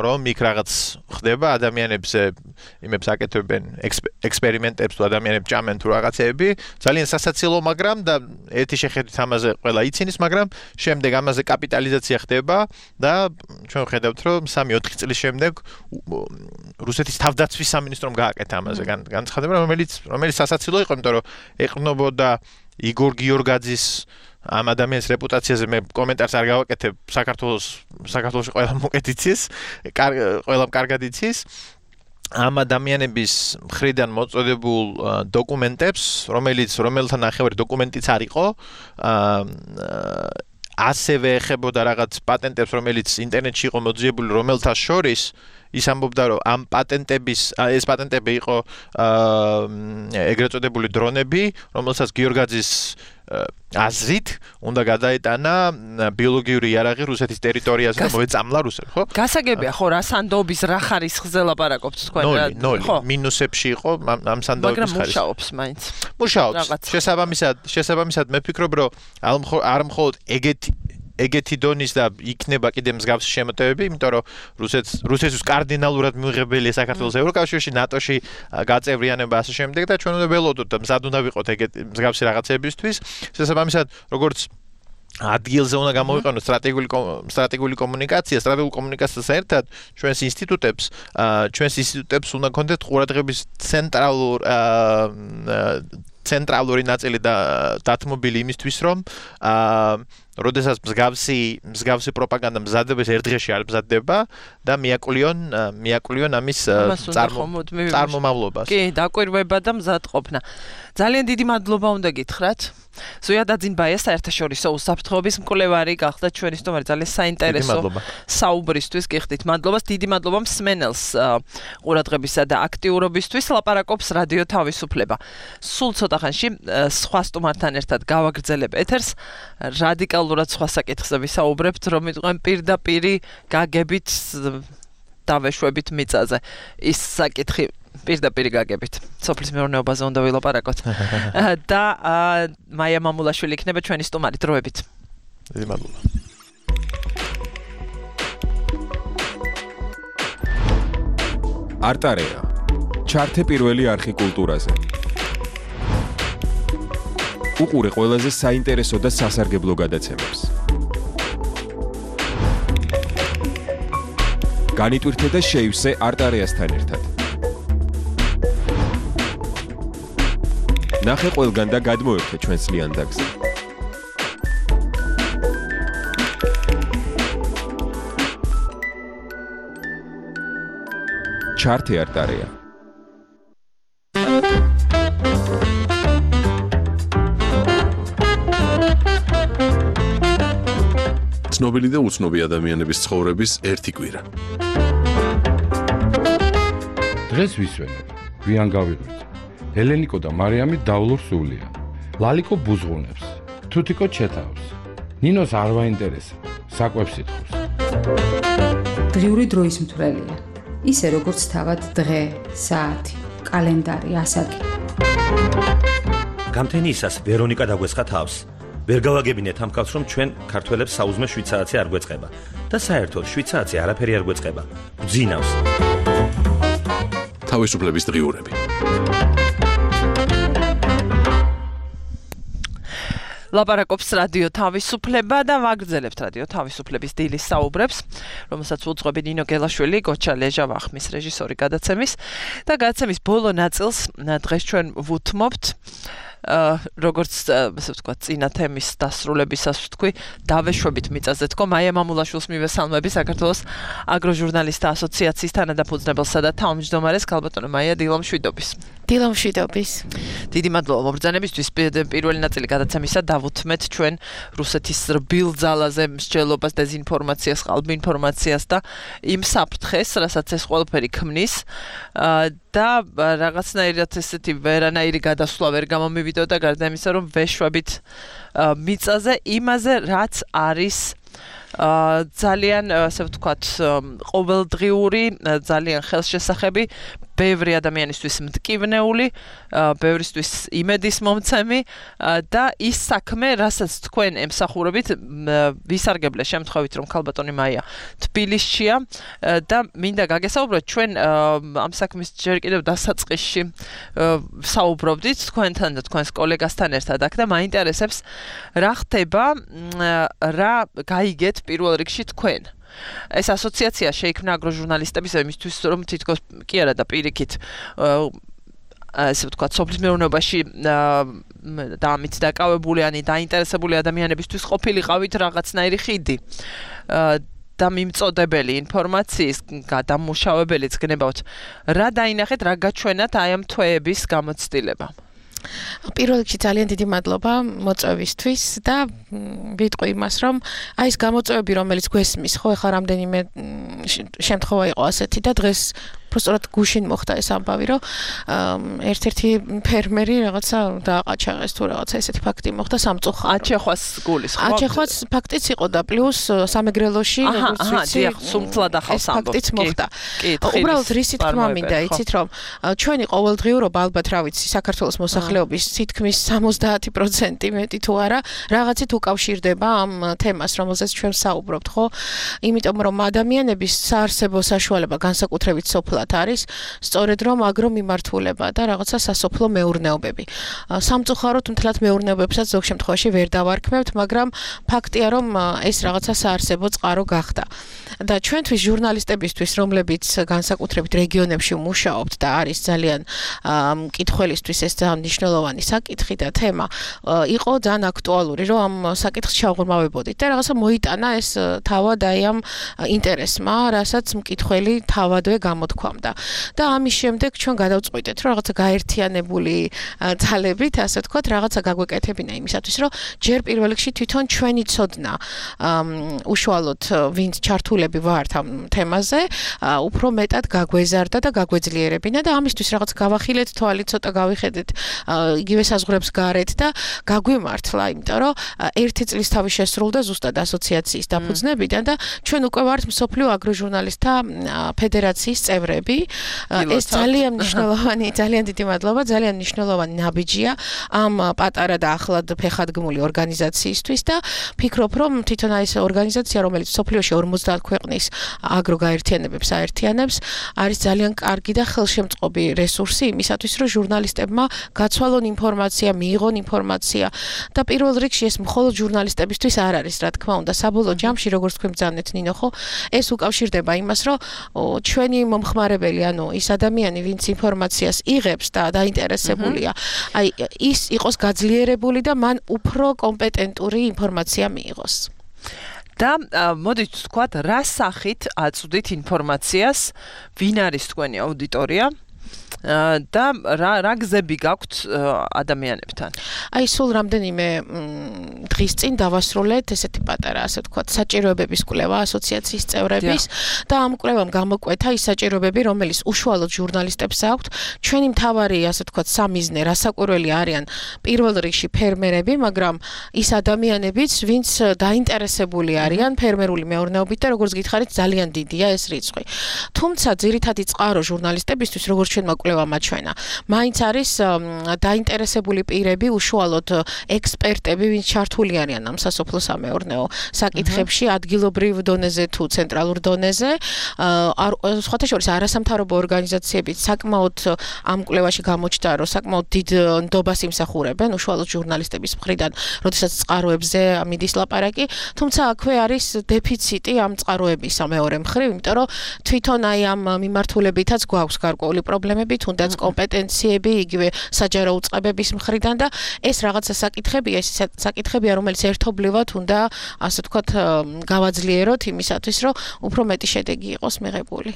რომ იქ რაღაც ხდება ადამიანებზე, იმებს აკეთებენ ექსპერიმენტებს თუ ადამიანებს ჭამენ თუ რაღაცეები, ძალიან სასაცილო, მაგრამ და ერთი შეხედვით ამაზე ყველა ცინის, მაგრამ შემდეგ ამაზე კაპიტალიზაცია ხდება და ჩვენ ვხედავთ, რომ სამი ოთხი წლის შემდეგ რუსეთის თავდაცვის სამინისტრომ გააკეთა ამაზე განცხადება, რომელიც რომელიც სასაცილო იყო, იმიტომ რომ ეყრდნობოდა იგორ გიორგაძის ამ ადამიანის რეპუტაციაზე მე კომენტარს არ გავაკეთებ, საქართველოს საქართველოში ყველა მოკეთ იცის, ყველამ კარგად იცის. ამ ადამიანების მხრიდან მოწოდებულ დოკუმენტებს, რომელიც რომელთა ნახევარი დოკუმენტიც არ იყო, ასევე ეხებოდა რაღაც პატენტებს, რომელიც ინტერნეტში იყო მოძიებული, რომელთა შორის ის ამბობდა, რომ ამ პატენტების ეს პატენტები იყო ეგრეთ წოდებული დრონები, რომელსაც გიორგაძის აზრით უნდა გადაეტანა ბიოლოგიური იარაღი რუსეთის ტერიტორიაზე და მოეწამლა რუსებს, ხო? გასაგებია, ხო, რა სანდოობის რა ხარისხზე ლაპარაკობთ თქვენ რა? ნოლი, მინუსებში იყო ამ სანდოობის ხარისხი. მაგრამ მუშაობს მაინც. მუშაობს. შესაბამისად, შესაბამისად მე ვფიქრობ, რომ არ მხოლოდ ეგეთი ეგეთი დონის და იქნება კიდე მსგავსი შემოტევები, იმიტომ რომ რუსეთს რუსეთის კარდინალურად მიიღებელია საქართველოს ევროკავშირში, ნატოში გაწევრიანება ასე შემდეგ და ჩვენ უნდა ველოდოთ და მზად უნდა ვიყოთ ეგეთი მსგავსი რაღაცებისთვის. შესაბამისად, როგორც ადგილზე უნდა გამოვიყენოთ სტრატეგიული სტრატეგიული კომუნიკაცია, სტრატეგიული კომუნიკაციასთან ერთად ჩვენს ინსტიტუტებს, ჩვენს ინსტიტუტებს უნდა გქონდეთ ყურადღების ცენტრალურ ცენტრალური ნაწილი და დათმობილი იმისთვის, რომ როდესაც მსგავსი მსგავსი პროპაგანდა მზადდება, ერთ დღეში არ მზადდება და მიაკლიონ მიაკლიონ ამის წარმომავლობას. კი, დაკვირვება და მზადყოფნა. ძალიან დიდი მადლობა უნდა გითხრათ. ზოია დაძინბაია საერთაშორისო უსაფრთხოების მკვლევარი გახდა ჩვენი სტუმარი, ძალიან საინტერესო საუბრისთვის გიხდით. მადლობას, დიდი მადლობა მსმენელს ყურადღებისა და აქტიურობისთვის. ლაპარაკობს რადიო თავისუფლება. სულ ცოტა ხანში სხვა სტუმართან ერთად გავაგრძელებ ეთერს. რადიკალურად სხვა საკითხზე ვისაუბრებთ, რომ იყვენ პირდაპირი გაგებით დავეშვებით მიწაზე. ის საკითხი პირდაპირ გაგებით. სოფლის მეურნეობაზე უნდა ვილაპარაკოთ. და მაია მამულაშვილი იქნება ჩვენი სტუმარი დროებით. დიდი მადლობა. არტარეა. ჩართე პირველი არხი კულტურაზე. უყურე ყველაზე საინტერესო და სასარგებლო გადაცემებს. განიტვირთე და შეივსე არტარეასთან ერთად. ნახე ყველგან და გადმოერთე ჩვენს ლიანდაგზე. ჩართე არტარეა. ცნობილი და უცნობი ადამიანების ცხოვრების ერთი კვირა. დღეს ვისვენებ, გვიან გავიღვიძე. ელენიკო და მარიამი დავლურ სულია. ლალიკო ბუზღუნებს, თუთიკო ჩეთავს. ნინოს არ ვაინტერესა, საკვებს ითხოვს. დღიური დროის მთვრელია. ისე როგორც თავად დღე, საათი, კალენდარი, ასაკი. გამთენიისას ვერონიკა დაგვესხა თავს. ვერ გავაგებინეთ ამ კაცს, რომ ჩვენ ქართველებს საუზმე შვიცარიცი არ გვეწყება და საერთოდ შვიცარიცი არაფერი არ გვეწყება. გძინავს. თავისუფლების დღიურები. ლაპარაკობს რადიო თავისუფლება და ვაგრძელებთ რადიო თავისუფლების დილის საუბრებს, რომელსაც უძღვები ნინო გელაშვილი, გოჩა ლეჟა ვახმის რეჟისორი გადაცემის და გადაცემის ბოლო ნაწილს დღეს ჩვენ ვუთმობთ როგორც ასე ვთქვათ, წინა თემის დასრულებისას ვთქვი, დავეშვებით მიწაზე თქო, მაია მამულაშვილს მივესალმები საქართველოს აგროჟურნალისტთა ასოციაციის თანადაფუძნებელსა და თავმჯდომარეს ქალბატონო მაია დილამშვიდობის. დილამშვიდობის. დიდი მადლობა მობრძანებისთვის. პირველი ნაწილი გადაცემისა დავუთმეთ ჩვენ რუსეთის რბილ ძალაზე მსჯელობას, დეზინფორმაციას, ყალბი ინფორმაციას და იმ საფრთხეს, რასაც ეს ყველაფერი ქმნის და რაღაცნაირად ესეთი ვერანაირი გადასვლა ვერ გამომივიდოდა გარდა იმისა, რომ ვეშვებით მიწაზე იმაზე, რაც არის ძალიან, ასე ვთქვათ, ყოველდღიური, ძალიან ხელშესახები, ბევრი ადამიანისთვის მტკივნეული, ბევრისთვის იმედის მომცემი და ის საქმე, რასაც თქვენ ემსახურებით, ვისარგებლე შემთხვევით, რომ ქალბატონი მაია თბილისშია და მინდა გაგესაუბროთ, ჩვენ ამ საქმის ჯერ კიდევ დასაწყისში საუბრობდით თქვენთან და თქვენს კოლეგასთან ერთად აქ და მაინტერესებს რა ხდება, რა გაიგეთ პირველ რიგში თქვენ. ეს ასოციაცია შეიქმნა აგროჟურნალისტების იმისთვის, რომ თითქოს კი არა და პირიქით ასე ვთქვათ, სოფლის მეურნეობაში და ამით დაკავებულიანი, დაინტერესებული ადამიანებისთვის ყოფილიყავით რაღაცნაირი ხიდი და მიმწოდებელი ინფორმაციის გადამუშავებელიც გნებავთ. რა დაინახეთ, რა გაჩვენათ აი ამ თვეების გამოცდილება? პირველ რიგში ძალიან დიდი მადლობა მოწვევისთვის და ვიტყვი იმას, რომ აი ეს გამოწვევები, რომელიც გვესმის, ხო, ეხლა რამდენიმე შემთხვევა იყო ასეთი და დღეს просто გუშინ მოხდა ეს ამბავი, რომ ერთ-ერთი ფერმერი რაღაცა დააყაჩა ეს თუ რაღაცა ესეთი ფაქტი მოხდა სამწუხაროდ. აჩეხვას გულის, ხო? აჩეხვას ფაქტიც იყო და პლუს სამეგრელოში, როგორც ვიცი, აჰა, დიახ, სუმთლად ახალს ამბობთ. ფაქტიც მოხდა. უბრალოდ რისი თქმა მინდა, იცით რომ ჩვენი ყოველდღიურობა ალბათ რა ვიცი, საქართველოს მოსახლეობის თითქმის სამოცდაათი პროცენტი მეტი თუ არა, რაღაცით უკავშირდება ამ თემას, რომელზეც ჩვენ საუბრობთ, ხო? იმიტომ რომ ადამიანების საარსებო საშუალება განსაკუთრებით სოფლად არის, სწორედ რომ აგრომიმართულება და რაღაცა სასოფლო მეურნეობები. სამწუხაროდ მთლად მეურნეობებსაც ზოგ შემთხვევაში ვერ დავარქმევთ, მაგრამ ფაქტია, რომ ეს რაღაცა საარსებო წყარო გახდა. და ჩვენთვის ჟურნალისტებისთვის, რომლებიც განსაკუთრებით რეგიონებში მუშაობთ და არის ძალიან მკითხველისთვის ეს ძალიან მნიშვნელოვანი საკითხი და თემა, იყო ძალიან აქტუალური, რომ ამ საკითხს ჩაუღრმავებოდით და რაღაცა მოიტანა ეს თავად აი ამ ინტერესმა, რასაც მკითხველი თავადვე გამოთქვამდა. და ამის შემდეგ ჩვენ გადავწყვიტეთ, რომ რაღაცა გაერთიანებული ძალებით, ასე ვთქვათ, რაღაცა გაგვეკეთებინა იმისათვის, რომ ჯერ პირველ რიგში თვითონ ჩვენი ცოდნა უშუალოდ ვინც ჩართულები ვართ ამ თემაზე, უფრო მეტად გაგვეზარდა და გაგვეძლიერებინა და ამისთვის რაღაც გავახილეთ თვალი, ცოტა გავიხედეთ იგივე საზღვრებს გარეთ და გაგვიმართლა, იმიტომ რომ ერთი წლის თავი შესრულდა ზუსტად ასოციაციის დაფუძნებიდან და ჩვენ უკვე ვართ მსოფლიო აგროჟურნალისტთა ფედერაციის წევრები. ეს ძალიან მნიშვნელოვანი, ძალიან დიდი მადლობა, ძალიან მნიშვნელოვანი ნაბიჯია ამ პატარა და ახლად ფეხადგმული ორგანიზაციისთვის და ფიქრობ, რომ თვითონ აი ეს ორგანიზაცია, რომელიც მსოფლიოში ორმოცდაათ ქვეყნის აგროგაერთიანებებს აერთიანებს, არის ძალიან კარგი და ხელშემწყობი რესურსი იმისათვის, რომ ჟურნალისტებმა გაცვალონ ინფორმაცია, მიიღონ ინფორმაცია და პირველ რიგში ეს მხოლოდ ჟურნალისტებისთვის არ არის, რა თქმა უნდა, საბოლოო ჯამში, როგორც თქვენ ბრძანეთ ნინო, ხო, ეს უკავშირდება იმას, რომ ჩვენი მომხმარებელი, ანუ ის ადამიანი, ვინც ინფორმაციას იღებს და დაინტერესებულია, აი ის იყოს გაძლიერებული და მან უფრო კომპეტენტური ინფორმაცია მიიღოს. და მოდით ვთქვათ, რა სახით აწვდით ინფორმაციას, ვინ არის თქვენი აუდიტორია? და რა რა გზები გაქვთ ადამიანებთან? აი სულ რამდენიმე დღის წინ დავასრულეთ ესეთი პატარა, ასე ვთქვათ, საჭიროებების კვლევა ასოციაციის წევრების და ამ კვლევამ გამოკვეთა ის საჭიროებები, რომელიც უშუალოდ ჟურნალისტებს აქვთ. ჩვენი მთავარი, ასე ვთქვათ, სამიზნე, რასაკვირველი არიან პირველ რიგში ფერმერები, მაგრამ ის ადამიანებიც, ვინც დაინტერესებული არიან ფერმერული მეურნეობით და როგორც გითხარით, ძალიან დიდია ეს რიცხვი. თუმცა ძირითადი წყარო ჟურნალისტებისთვის, როგორც ჩვენმა კვლევამ აჩვენა, მაინც არის დაინტერესებული პირები, უშუალოდ ექსპერტები, ვინც ჩართული არიან ამ სასოფლო-სამეურნეო საკითხებში, ადგილობრივ დონეზე თუ ცენტრალურ დონეზე. სხვათა შორის არასამთავრობო ორგანიზაციებიც საკმაოდ ამ კვლევაში გამოჩნდა, რომ საკმაოდ დიდ ნდობას იმსახურებენ უშუალოდ ჟურნალისტების მხრიდან, როდესაც წყაროებზე მიდის ლაპარაკი, თუმცა აქვე არის დეფიციტი ამ წყაროების მეორე მხრივ, იმიტომ რომ თვითონ აი ამ მიმართულებითაც გვაქვს გარკვეული პრობლემები, თუნდაც კომპეტენციები, იგივე საჯარო უწყებების მხრიდან და ეს რაღაცა საკითხებია, ეს საკითხებია, რომელიც ერთობლივად უნდა, ასე ვთქვათ, გავაძლიეროთ იმისათვის, რომ უფრო მეტი შედეგი იყოს მიღებული.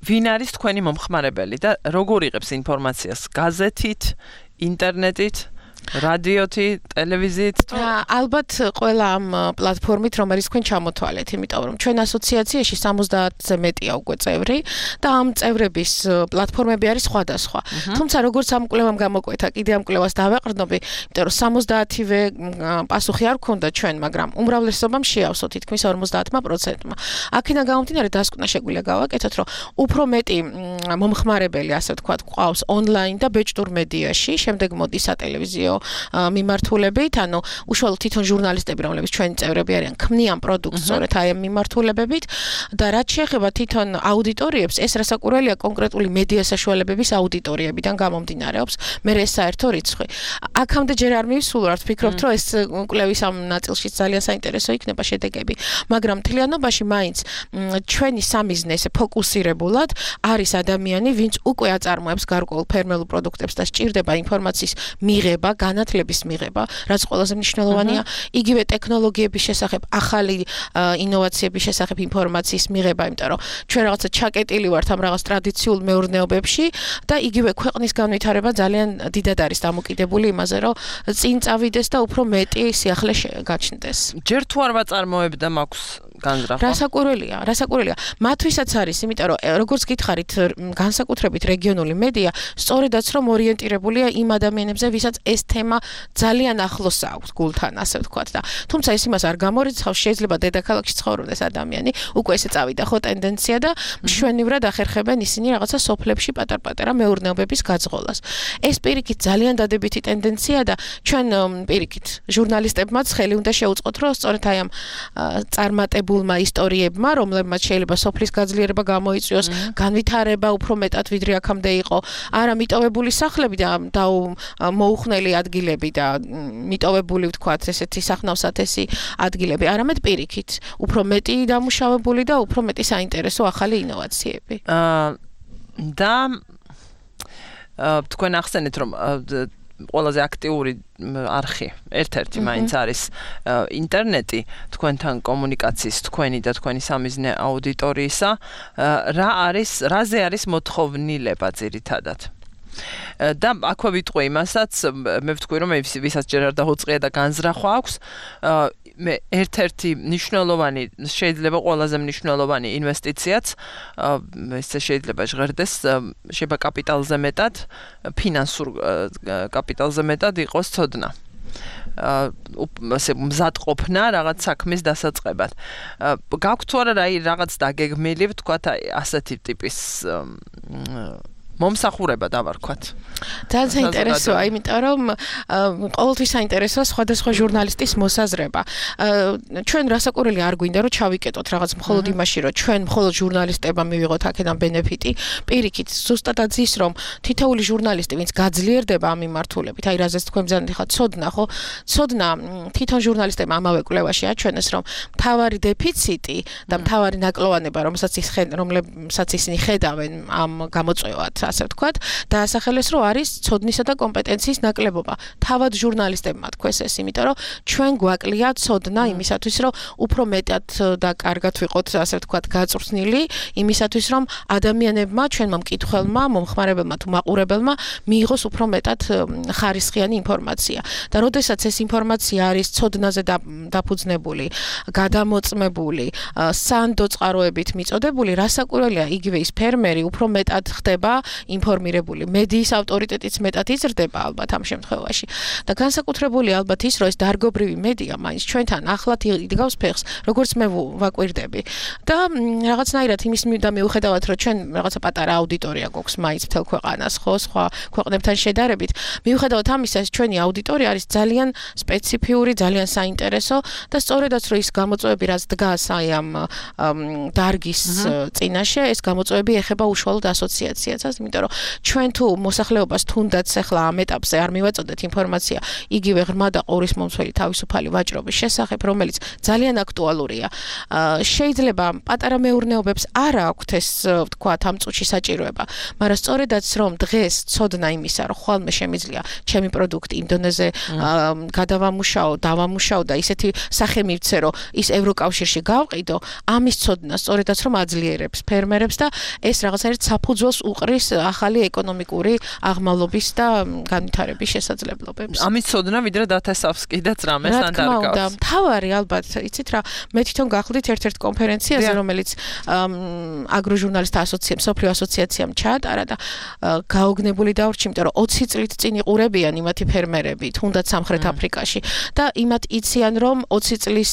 ვინ არის თქვენი მომხმარებელი და როგორ იღებს ინფორმაციას? გაზეთით, ინტერნეტით? რადიოთი, ტელევიზიით? ალბათ ყველა ამ პლატფორმით, რომელიც თქვენ ჩამოთვალეთ, იმიტომ რომ ჩვენ ასოციაციაში სამოცდაათზე მეტია უკვე წევრი და ამ წევრების პლატფორმები არის სხვადასხვა. თუმცა როგორც ამ კვლევამ გამოკვეთა, კიდე ამ კვლევას დავეყრდნობი, იმიტომ რომ სამოცდაათივე პასუხი არ ქონდა ჩვენ, მაგრამ უმრავლესობამ შეავსო თითქმის ორმოცდაათმა პროცენტმა. აქედან გამომდინარე დასკვნა შეგვიძლია გავაკეთოთ, რომ უფრო მეტი მომხმარებელი, ასე ვთქვათ, ყავს ონლაინ და ბეჭდურ მედიაში, შემდეგ მოდის სატელევიზიო მიმართულებით, ანუ უშუალოდ თვითონ ჟურნალისტები, რომლებიც ჩვენი წევრები არიან, ქმნიან პროდუქტს სწორედ აი ამ მიმართულებებით და რაც შეეხება თვითონ აუდიტორიებს, ეს რასაკვირველია კონკრეტული მედია საშუალებების აუდიტორიებიდან გამომდინარეობს, მე ეს საერთო რიცხვი. აქამდე ჯერ არ მივსულვართ, ვფიქრობთ, რომ ეს კვლევის ამ ნაწილშიც ძალიან საინტერესო იქნება შედეგები, მაგრამ მთლიანობაში მაინც ჩვენი სამიზნე ესე ფოკუსირებულად არის ადამიანი, ვინც უკვე აწარმოებს გარკვეულ ფერმერულ პროდუქტებს და სჭირდება ინფორმაციის მიღება, განათლების მიღება, რაც ყველაზე მნიშვნელოვანია, იგივე ტექნოლოგიების შესახებ, ახალი ინოვაციების შესახებ ინფორმაციის მიღება, იმიტომ რომ ჩვენ რაღაცა ჩაკეტილი ვართ ამ რაღაც ტრადიციულ მეურნეობებში და იგივე ქვეყნის განვითარება ძალიან დიდად არის დამოკიდებული იმაზე, რომ წინ წავიდეს და უფრო მეტი სიახლე გაჩნდეს. ჯერ თუ არ ვაწარმოებ და მაქვს განზრახვა. რასაკვირველია, რასაკვირველია. მათთვისაც არის, იმიტომ რომ როგორც გითხარით, განსაკუთრებით რეგიონული მედია, სწორედაც რომ ორიენტირებულია იმ ადამიანებზე, ვისაც ეს თემა ძალიან ახლოს აქვს გულთან, ასე ვთქვათ და თუმცა ეს იმას არ გამორიცხავს, შეიძლება დედაქალაქში ცხოვრობდეს ადამიანი, უკვე ესე წავიდა ხო ტენდენცია და მშვენივრად ახერხებენ ისინი რაღაცა სოფლებში პატარ-პატარა მეურნეობების გაძღოლას. ეს პირიქით ძალიან დადებითი ტენდენცია და ჩვენ პირიქით ჟურნალისტებმაც ხელი უნდა შეუწყოთ, რომ სწორედ აი ამ წარმატებულმა ისტორიებმა, რომლებმაც შეიძლება სოფლის გაძლიერება გამოიწვიოს, განვითარება უფრო მეტად ვიდრე აქამდე იყო, არა მიტოვებული სახლები და მოუხნელი ადგილები და მიტოვებული ვთქვათ ესეთი სახნავსათესი ადგილები, არამედ პირიქით, უფრო მეტი დამუშავებული და უფრო მეტი საინტერესო ახალი ინოვაციები. და თქვენ ახსენეთ, რომ ყველაზე აქტიური არხი ერთ-ერთი მაინც არის ინტერნეტი, თქვენთან კომუნიკაციის, თქვენი და თქვენი სამიზნე აუდიტორიისა, რა არის, რაზე არის მოთხოვნილება ძირითადად? და აქვე ვიტყვი იმასაც, მე ვთქვი, რომ ვისაც ჯერ არ დაუწყია და განზრახვა აქვს, მე ერთ-ერთი მნიშვნელოვანი, შეიძლება ყველაზე მნიშვნელოვანი ინვესტიციაც, ესე შეიძლება ჟღერდეს, შეიძლება კაპიტალზე მეტად, ფინანსურ კაპიტალზე მეტად იყოს ცოდნა. ასე მზადყოფნა რაღაც საქმის დასაწყებად. გაქვთ თუ არა რაღაც დაგეგმილი, ვთქვათ, ასეთი ტიპის მომსახურება დავარქვათ. ძალიან საინტერესოა, იმიტომ რომ ყოველთვის საინტერესოა სხვადასხვა ჟურნალისტის მოსაზრება. ჩვენ რასაკვირველია არ გვინდა რომ ჩავიკეტოთ რაღაც მხოლოდ იმაში, რომ ჩვენ მხოლოდ ჟურნალისტებმა მივიღოთ აქედან ბენეფიტი. პირიქით, ზუსტადაც ის, რომ თითოეული ჟურნალისტი, ვინც გაძლიერდება ამ მიმართულებით, აი რაზეც თქვენ ბრძანეთ ხა ცოდნა, ხო? ცოდნა თვითონ ჟურნალისტებმა ამავე კვლევაში აჩვენეს, რომ მთავარი დეფიციტი და მთავარი ნაკლოვანება, რომელსაც ის რომელსაც ისინი ხედავენ ამ გამოწვევად, ასე ვთქვათ, დაასახელეს, რომ არის ცოდნისა და კომპეტენციის ნაკლებობა. თავად ჟურნალისტებმა თქვეს ეს, იმიტომ რომ ჩვენ გვაკლია ცოდნა იმისათვის, რომ უფრო მეტად და კარგად ვიყოთ, ასე ვთქვათ, გაწვრთნილი, იმისათვის, რომ ადამიანებმა, ჩვენმა მკითხველმა, მომხმარებელმა თუ მაყურებელმა მიიღოს უფრო მეტად ხარისხიანი ინფორმაცია. და როდესაც ეს ინფორმაცია არის ცოდნაზე დაფუძნებული, გადამოწმებული, სანდო წყაროებით მიწოდებული, რასაკვირველია, იგივე ის ფერმერი უფრო მეტად ხდება ინფორმირებული, მედიის ავტორიტეტიც მეტად იზრდება ალბათ ამ შემთხვევაში. და განსაკუთრებული ალბათ ის, რომ ეს დარგობრივი მედია მაინც ჩვენთან ახლად იგავს ფეხს, როგორც მე ვაკვირდები. და რაღაცნაირად იმის მივდა მიუხედავად, რომ ჩვენ რაღაცა პატარა აუდიტორია გვაქვს მაინც მთელ ქვეყანას, ხო, სხვა ქვეყნებთან შედარებით, მიუხედავად ამისა, ეს ჩვენი აუდიტორია არის ძალიან სპეციფიური, ძალიან საინტერესო და სწორედაც რომ ის გამოწვევები რაც დგას აი ამ დარგის წინაშე, ეს გამოწვევები ეხება უშუალოდ ასოციაციას, იმიტომ რომ ჩვენ თუ მოსახლეობას თუნდაც ახლა ამ ეტაპზე არ მივაწოდეთ ინფორმაცია იგივე ღრმა და ყურის მომცველი თავისუფალი ვაჭრობის შესახებ, რომელიც ძალიან აქტუალურია. შეიძლება პატარა მეურნეობებს არ აქვთ ეს ვთქვათ ამ წუთში საჭიროება, მაგრამ სწორედაც რომ დღეს ცოდნა იმისა, რომ ხვალმე შემიძლია ჩემი პროდუქტი იმ დონეზე გადავამუშაო, დავამუშაო და ისეთი სახე მივცე, რომ ის ევროკავშირში გავყიდო, ამის ცოდნა სწორედაც რომ აძლიერებს ფერმერებს და ეს რაღაცნაირად საფუძველს უყრის ახალი ეკონომიკური აღმავლობის და განვითარების შესაძლებლობებს. ამის ცოდნა ვიდრე დათესავს კიდეც რამეს ან დარგავს. თავარი ალბათ, იცით რა, მე თვითონ გახლდით ერთ-ერთ კონფერენციაზე, რომელიც აგროჟურნალისტთა ასოციაციამ, სოფლიო ასოციაციამ ჩაატარა და გაოგნებული დავრჩი, იმიტომ რომ ოცი წლით წინ იყურებიან იმათი ფერმერები, თუნდაც სამხრეთ აფრიკაში და იმათ იციან, რომ ოცი წლის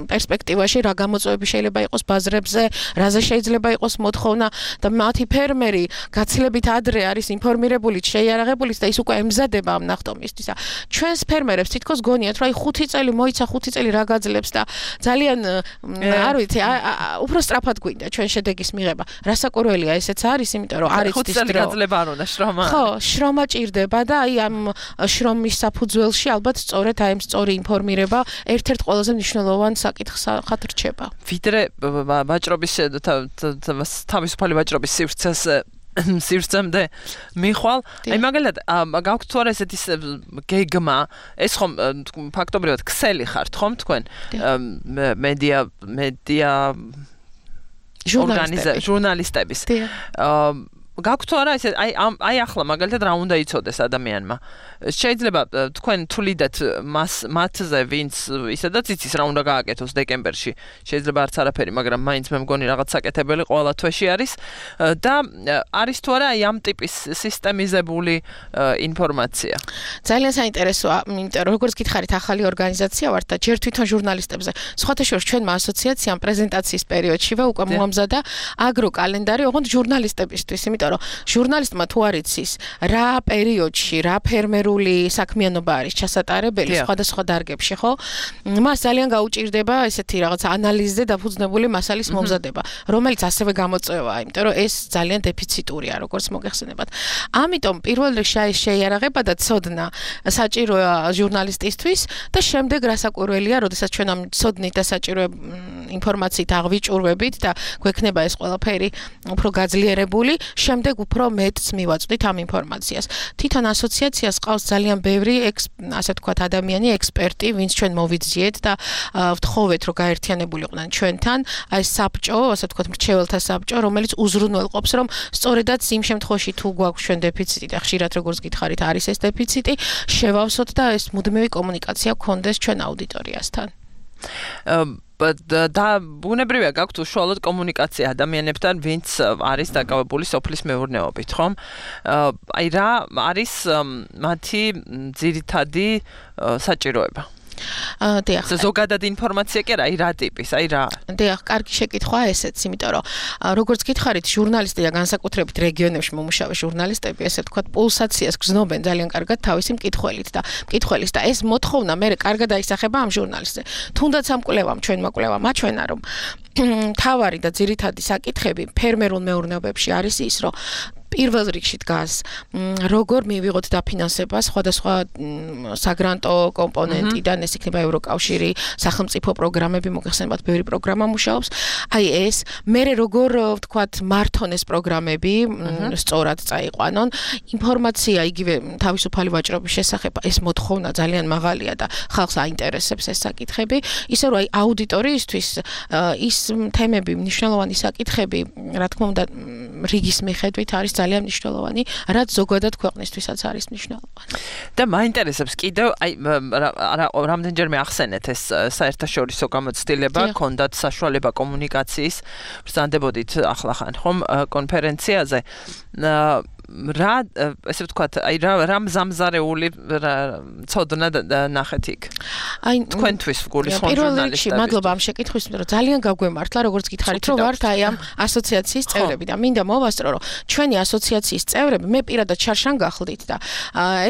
პერსპექტივაში რა გამოწვევები შეიძლება იყოს ბაზრებზე, რაზე შეიძლება იყოს მოთხოვნა და მათი ფერმერი გაცილებით ადრე არის ინფორმირებული, შეიარაღებული და ის უკვე ემზადება ამ ნახტომისთვის. ჩვენს ფერმერებს თითქოს გონიათ, რომ აი ხუთი წელი მოიცა, ხუთი წელი რა გაძლებს და ძალიან არ ვიცი, უფრო სწრაფად გვინდა ჩვენ შედეგის მიღება. რასაკვირველია ესეც არის, იმიტომ რომ არის ხუთი წელი გაძლება არ უნდა შრომა. ხო, შრომა ჭირდება და აი ამ შრომის საფუძველში ალბათ სწორედ აი ამ სწორი ინფორმირება ერთ-ერთ ყველაზე მნიშვნელოვან საკითხს ხატრჩება. ვიდრე ვაჭრობის თავისუფალი ვაჭრობის სივრცეს სივრცემდე მიხვალ. აი მაგალითად გაქვთ თუ არა ესეთი გეგმა, ეს ხომ ფაქტობრივად ქსელი ხართ ხომ თქვენ? მედია მედია ჟურნალისტების. გაქვთ თუ არა ესე აი აი ახლა მაგალითად რა უნდა იცოდეს ადამიანმა. შეიძლება თქვენ თვლიდეთ მას მათზე ვინც ისედაც იცის რა უნდა გააკეთოს დეკემბერში. შეიძლება არც არაფერი, მაგრამ მაინც მე მგონი რაღაც საკეთებელი ყველა თვეში არის და არის თუ არა აი ამ ტიპის სისტემიზებული ინფორმაცია. ძალიან საინტერესოა, იმიტომ რომ როგორც გითხარით, ახალი ორგანიზაცია ვართ და ჯერ თვითონ ჟურნალისტებზე. სხვათა შორის ჩვენმა ასოციაციამ პრეზენტაციის პერიოდშივე უკვე მოამზადა აგრო კალენდარი ოღონდ ჟურნალისტებისთვის, იმიტომ რომ ჟურნალისტმა თუ არ იცის რა პერიოდში, რა ფერმერული საქმიანობა არის ჩასატარებელი სხვადასხვა დარგებში, ხო? მას ძალიან გაუჭირდება ესეთი რაღაც ანალიზზე დაფუძნებული მასალის მომზადება, რომელიც ასევე გამოწვევაა, იმიტომ რომ ეს ძალიან დეფიციტურია, როგორც მოგეხსენებათ. ამიტომ პირველ რიგში შეიარაღება და ცოდნა საჭიროა ჟურნალისტისთვის და შემდეგ რასაკვირველია, როდესაც ჩვენ ამ ცოდნით და საჭირო ინფორმაციით აღვიჭურვებით და გვექნება ეს ყველაფერი უფრო გაძლიერებული, შემდეგ უფრო მეტს მივაწვდით ამ ინფორმაციას. თვითონ ასოციაციას ყავს ძალიან ბევრი ასე ვთქვათ ადამიანი, ექსპერტი, ვინც ჩვენ მოვიძიეთ და ვთხოვეთ, რომ გაერთიანებულიყვნენ ჩვენთან, აი საბჭო, ასე ვთქვათ, მრჩეველთა საბჭო, რომელიც უზრუნველყოფს, რომ სწორედაც იმ შემთხვევაში თუ გვაქვს ჩვენ დეფიციტი და ხშირად როგორც გითხარით, არის ეს დეფიციტი, შევავსოთ და ეს მუდმივი კომუნიკაცია გქონდეს ჩვენ აუდიტორიასთან. და ბუნებრივია გაქვთ უშუალოდ კომუნიკაცია ადამიანებთან, ვინც არის დაკავებული სოფლის მეურნეობით, ხომ? აი რა არის მათი ძირითადი საჭიროება? დიახ. ზოგადად ინფორმაცია კი რა, აი რა ტიპის, აი რა. დიახ, კარგი შეკითხვაა ესეც, იმიტომ რომ როგორც გითხარით, ჟურნალისტი და განსაკუთრებით რეგიონებში მომუშავე ჟურნალისტები, ესე ვთქვათ, პულსაციას გრძნობენ ძალიან კარგად თავისი მკითხველით და მკითხველის და ეს მოთხოვნა მე კარგად აისახება ამ ჟურნალისტზე. თუნდაც ამ კვლევამ, ჩვენმა კვლევამ აჩვენა, რომ თავარი და ძირითადი საკითხები ფერმერულ მეურნეობებში არის ის, რომ პირველ რიგში დგას როგორ მივიღოთ დაფინანსება სხვადასხვა საგრანტო კომპონენტიდან, ეს იქნება ევროკავშირი, სახელმწიფო პროგრამები, მოგეხსენებათ, ბევრი პროგრამა მუშაობს. აი ეს, მერე როგორ ვთქვათ, მართონ ეს პროგრამები, სწორად წაიყვანონ, ინფორმაცია იგივე თავისუფალი ვაჭრობის შესახებ, ეს მოთხოვნა ძალიან მაღალია და ხალხს აინტერესებს ეს საკითხები, ისე რომ აი აუდიტორიისთვის ის თემები, მნიშვნელოვანი საკითხები, რა თქმა უნდა, რიგის მიხედვით არის ძალიან მნიშვნელოვანი, რაც ზოგადად ქვეყნისთვისაც არის მნიშვნელოვანი. და მაინტერესებს კიდევ, აი რამდენჯერმე ახსენეთ ეს საერთაშორისო გამოცდილება, ქონდათ საშუალება კომუნიკაციის, ბრძანდებოდით ახლა ხან ხომ კონფერენციაზე. რა ესე ვთქვათ, აი რა რა მზამზარეული ცოდნა ნახეთ იქ. აი თქვენთვის გულისხმობ ჟურნალისტებს. მადლობა ამ შეკითხვისთვის, რომ ძალიან გაგვემართლა, როგორც გითხარით, რომ ვართ აი ამ ასოციაციის წევრები და მინდა მოვასწრო, რომ ჩვენი ასოციაციის წევრები მე პირადად შარშან გახლდით და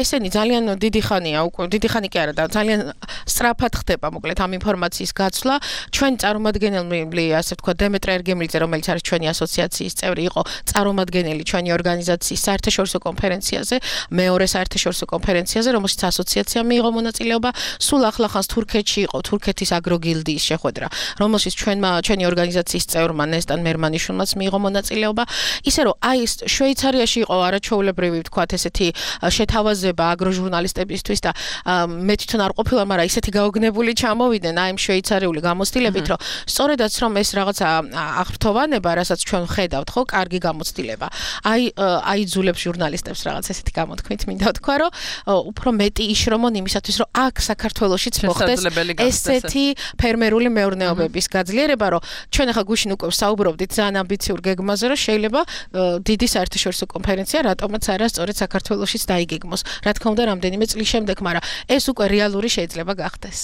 ესენი ძალიან დიდი ხანია უკვე, დიდი ხანი კი არა და ძალიან სწრაფად ხდება მოკლედ ამ ინფორმაციის გაცვლა. ჩვენი წარმომადგენელი, ასე ვთქვათ, დემეტრე ერგემლიძე, რომელიც არის ჩვენი ასოციაციის წევრი, იყო წარმომადგენელი ჩვენი ორგანიზაციის საერთაშორისო კონფერენციაზე, მეორე საერთაშორისო კონფერენციაზე, რომელშიც ასოციაცია მიიღო მონაწილეობა. სულ ახლახანს თურქეთში იყო თურქეთის აგროგილდიის შეხვედრა, რომელშიც ჩვენმა ჩვენი ორგანიზაციის წევრმა ნესტან მერმანიშვილმაც მიიღო მონაწილეობა. ისე რომ აი შვეიცარიაში იყო არაჩვეულებრივი ვთქვათ ესეთი შეთავაზება აგროჟურნალისტებისთვის და მე თვითონ არ ყოფილა, მაგრამ ისეთი გაოგნებული ჩამოვიდნენ აი ამ შვეიცარიული გამოცდილებით, რომ სწორედაც რომ ეს რაღაცა აღფრთოვანება, რასაც ჩვენ ხედავთ, ხო, კარგი გამოცდილება. აი აიძულებს ჟურნალისტებს რაღაც ესეთი გამოთქმით მინდა ვთქვა, რომ უფრო მეტი იშრომონ იმისათვის, რომ აქ საქართველოშიც მოხდეს ესეთი ფერმერული მეურნეობების გაძლიერება, რომ ჩვენ ახლა გუშინ უკვე საუბრობდით ძალიან ამბიციურ გეგმაზე, რომ შეიძლება დიდი საერთაშორისო კონფერენცია რატომაც არა სწორედ საქართველოშიც დაიგეგმოს. რა თქმა უნდა, რამდენიმე წლის შემდეგ, მაგრამ ეს უკვე რეალური შეიძლება გახდეს.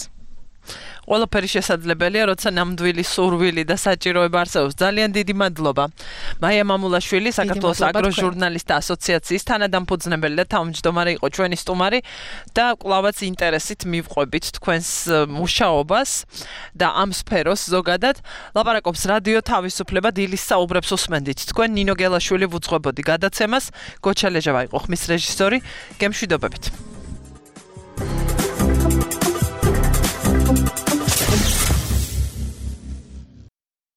ყველაფერი შესაძლებელია, როცა ნამდვილი სურვილი და საჭიროება არსებობს. ძალიან დიდი მადლობა. მაია მამულაშვილი, საქართველოს აგროჟურნალისტთა ასოციაციის თანადამფუძნებელი და თავმჯდომარე იყო ჩვენი სტუმარი და კვლავაც ინტერესით მივყვებით თქვენს მუშაობას და ამ სფეროს ზოგადად. ლაპარაკობს რადიო თავისუფლება, დილის საუბრებს უსმენდით. თქვენ ნინო გელაშვილი ვუძღვებოდი გადაცემას, გოჩა ლეჟავა იყო ხმის რეჟისორი. გემშვიდობებით.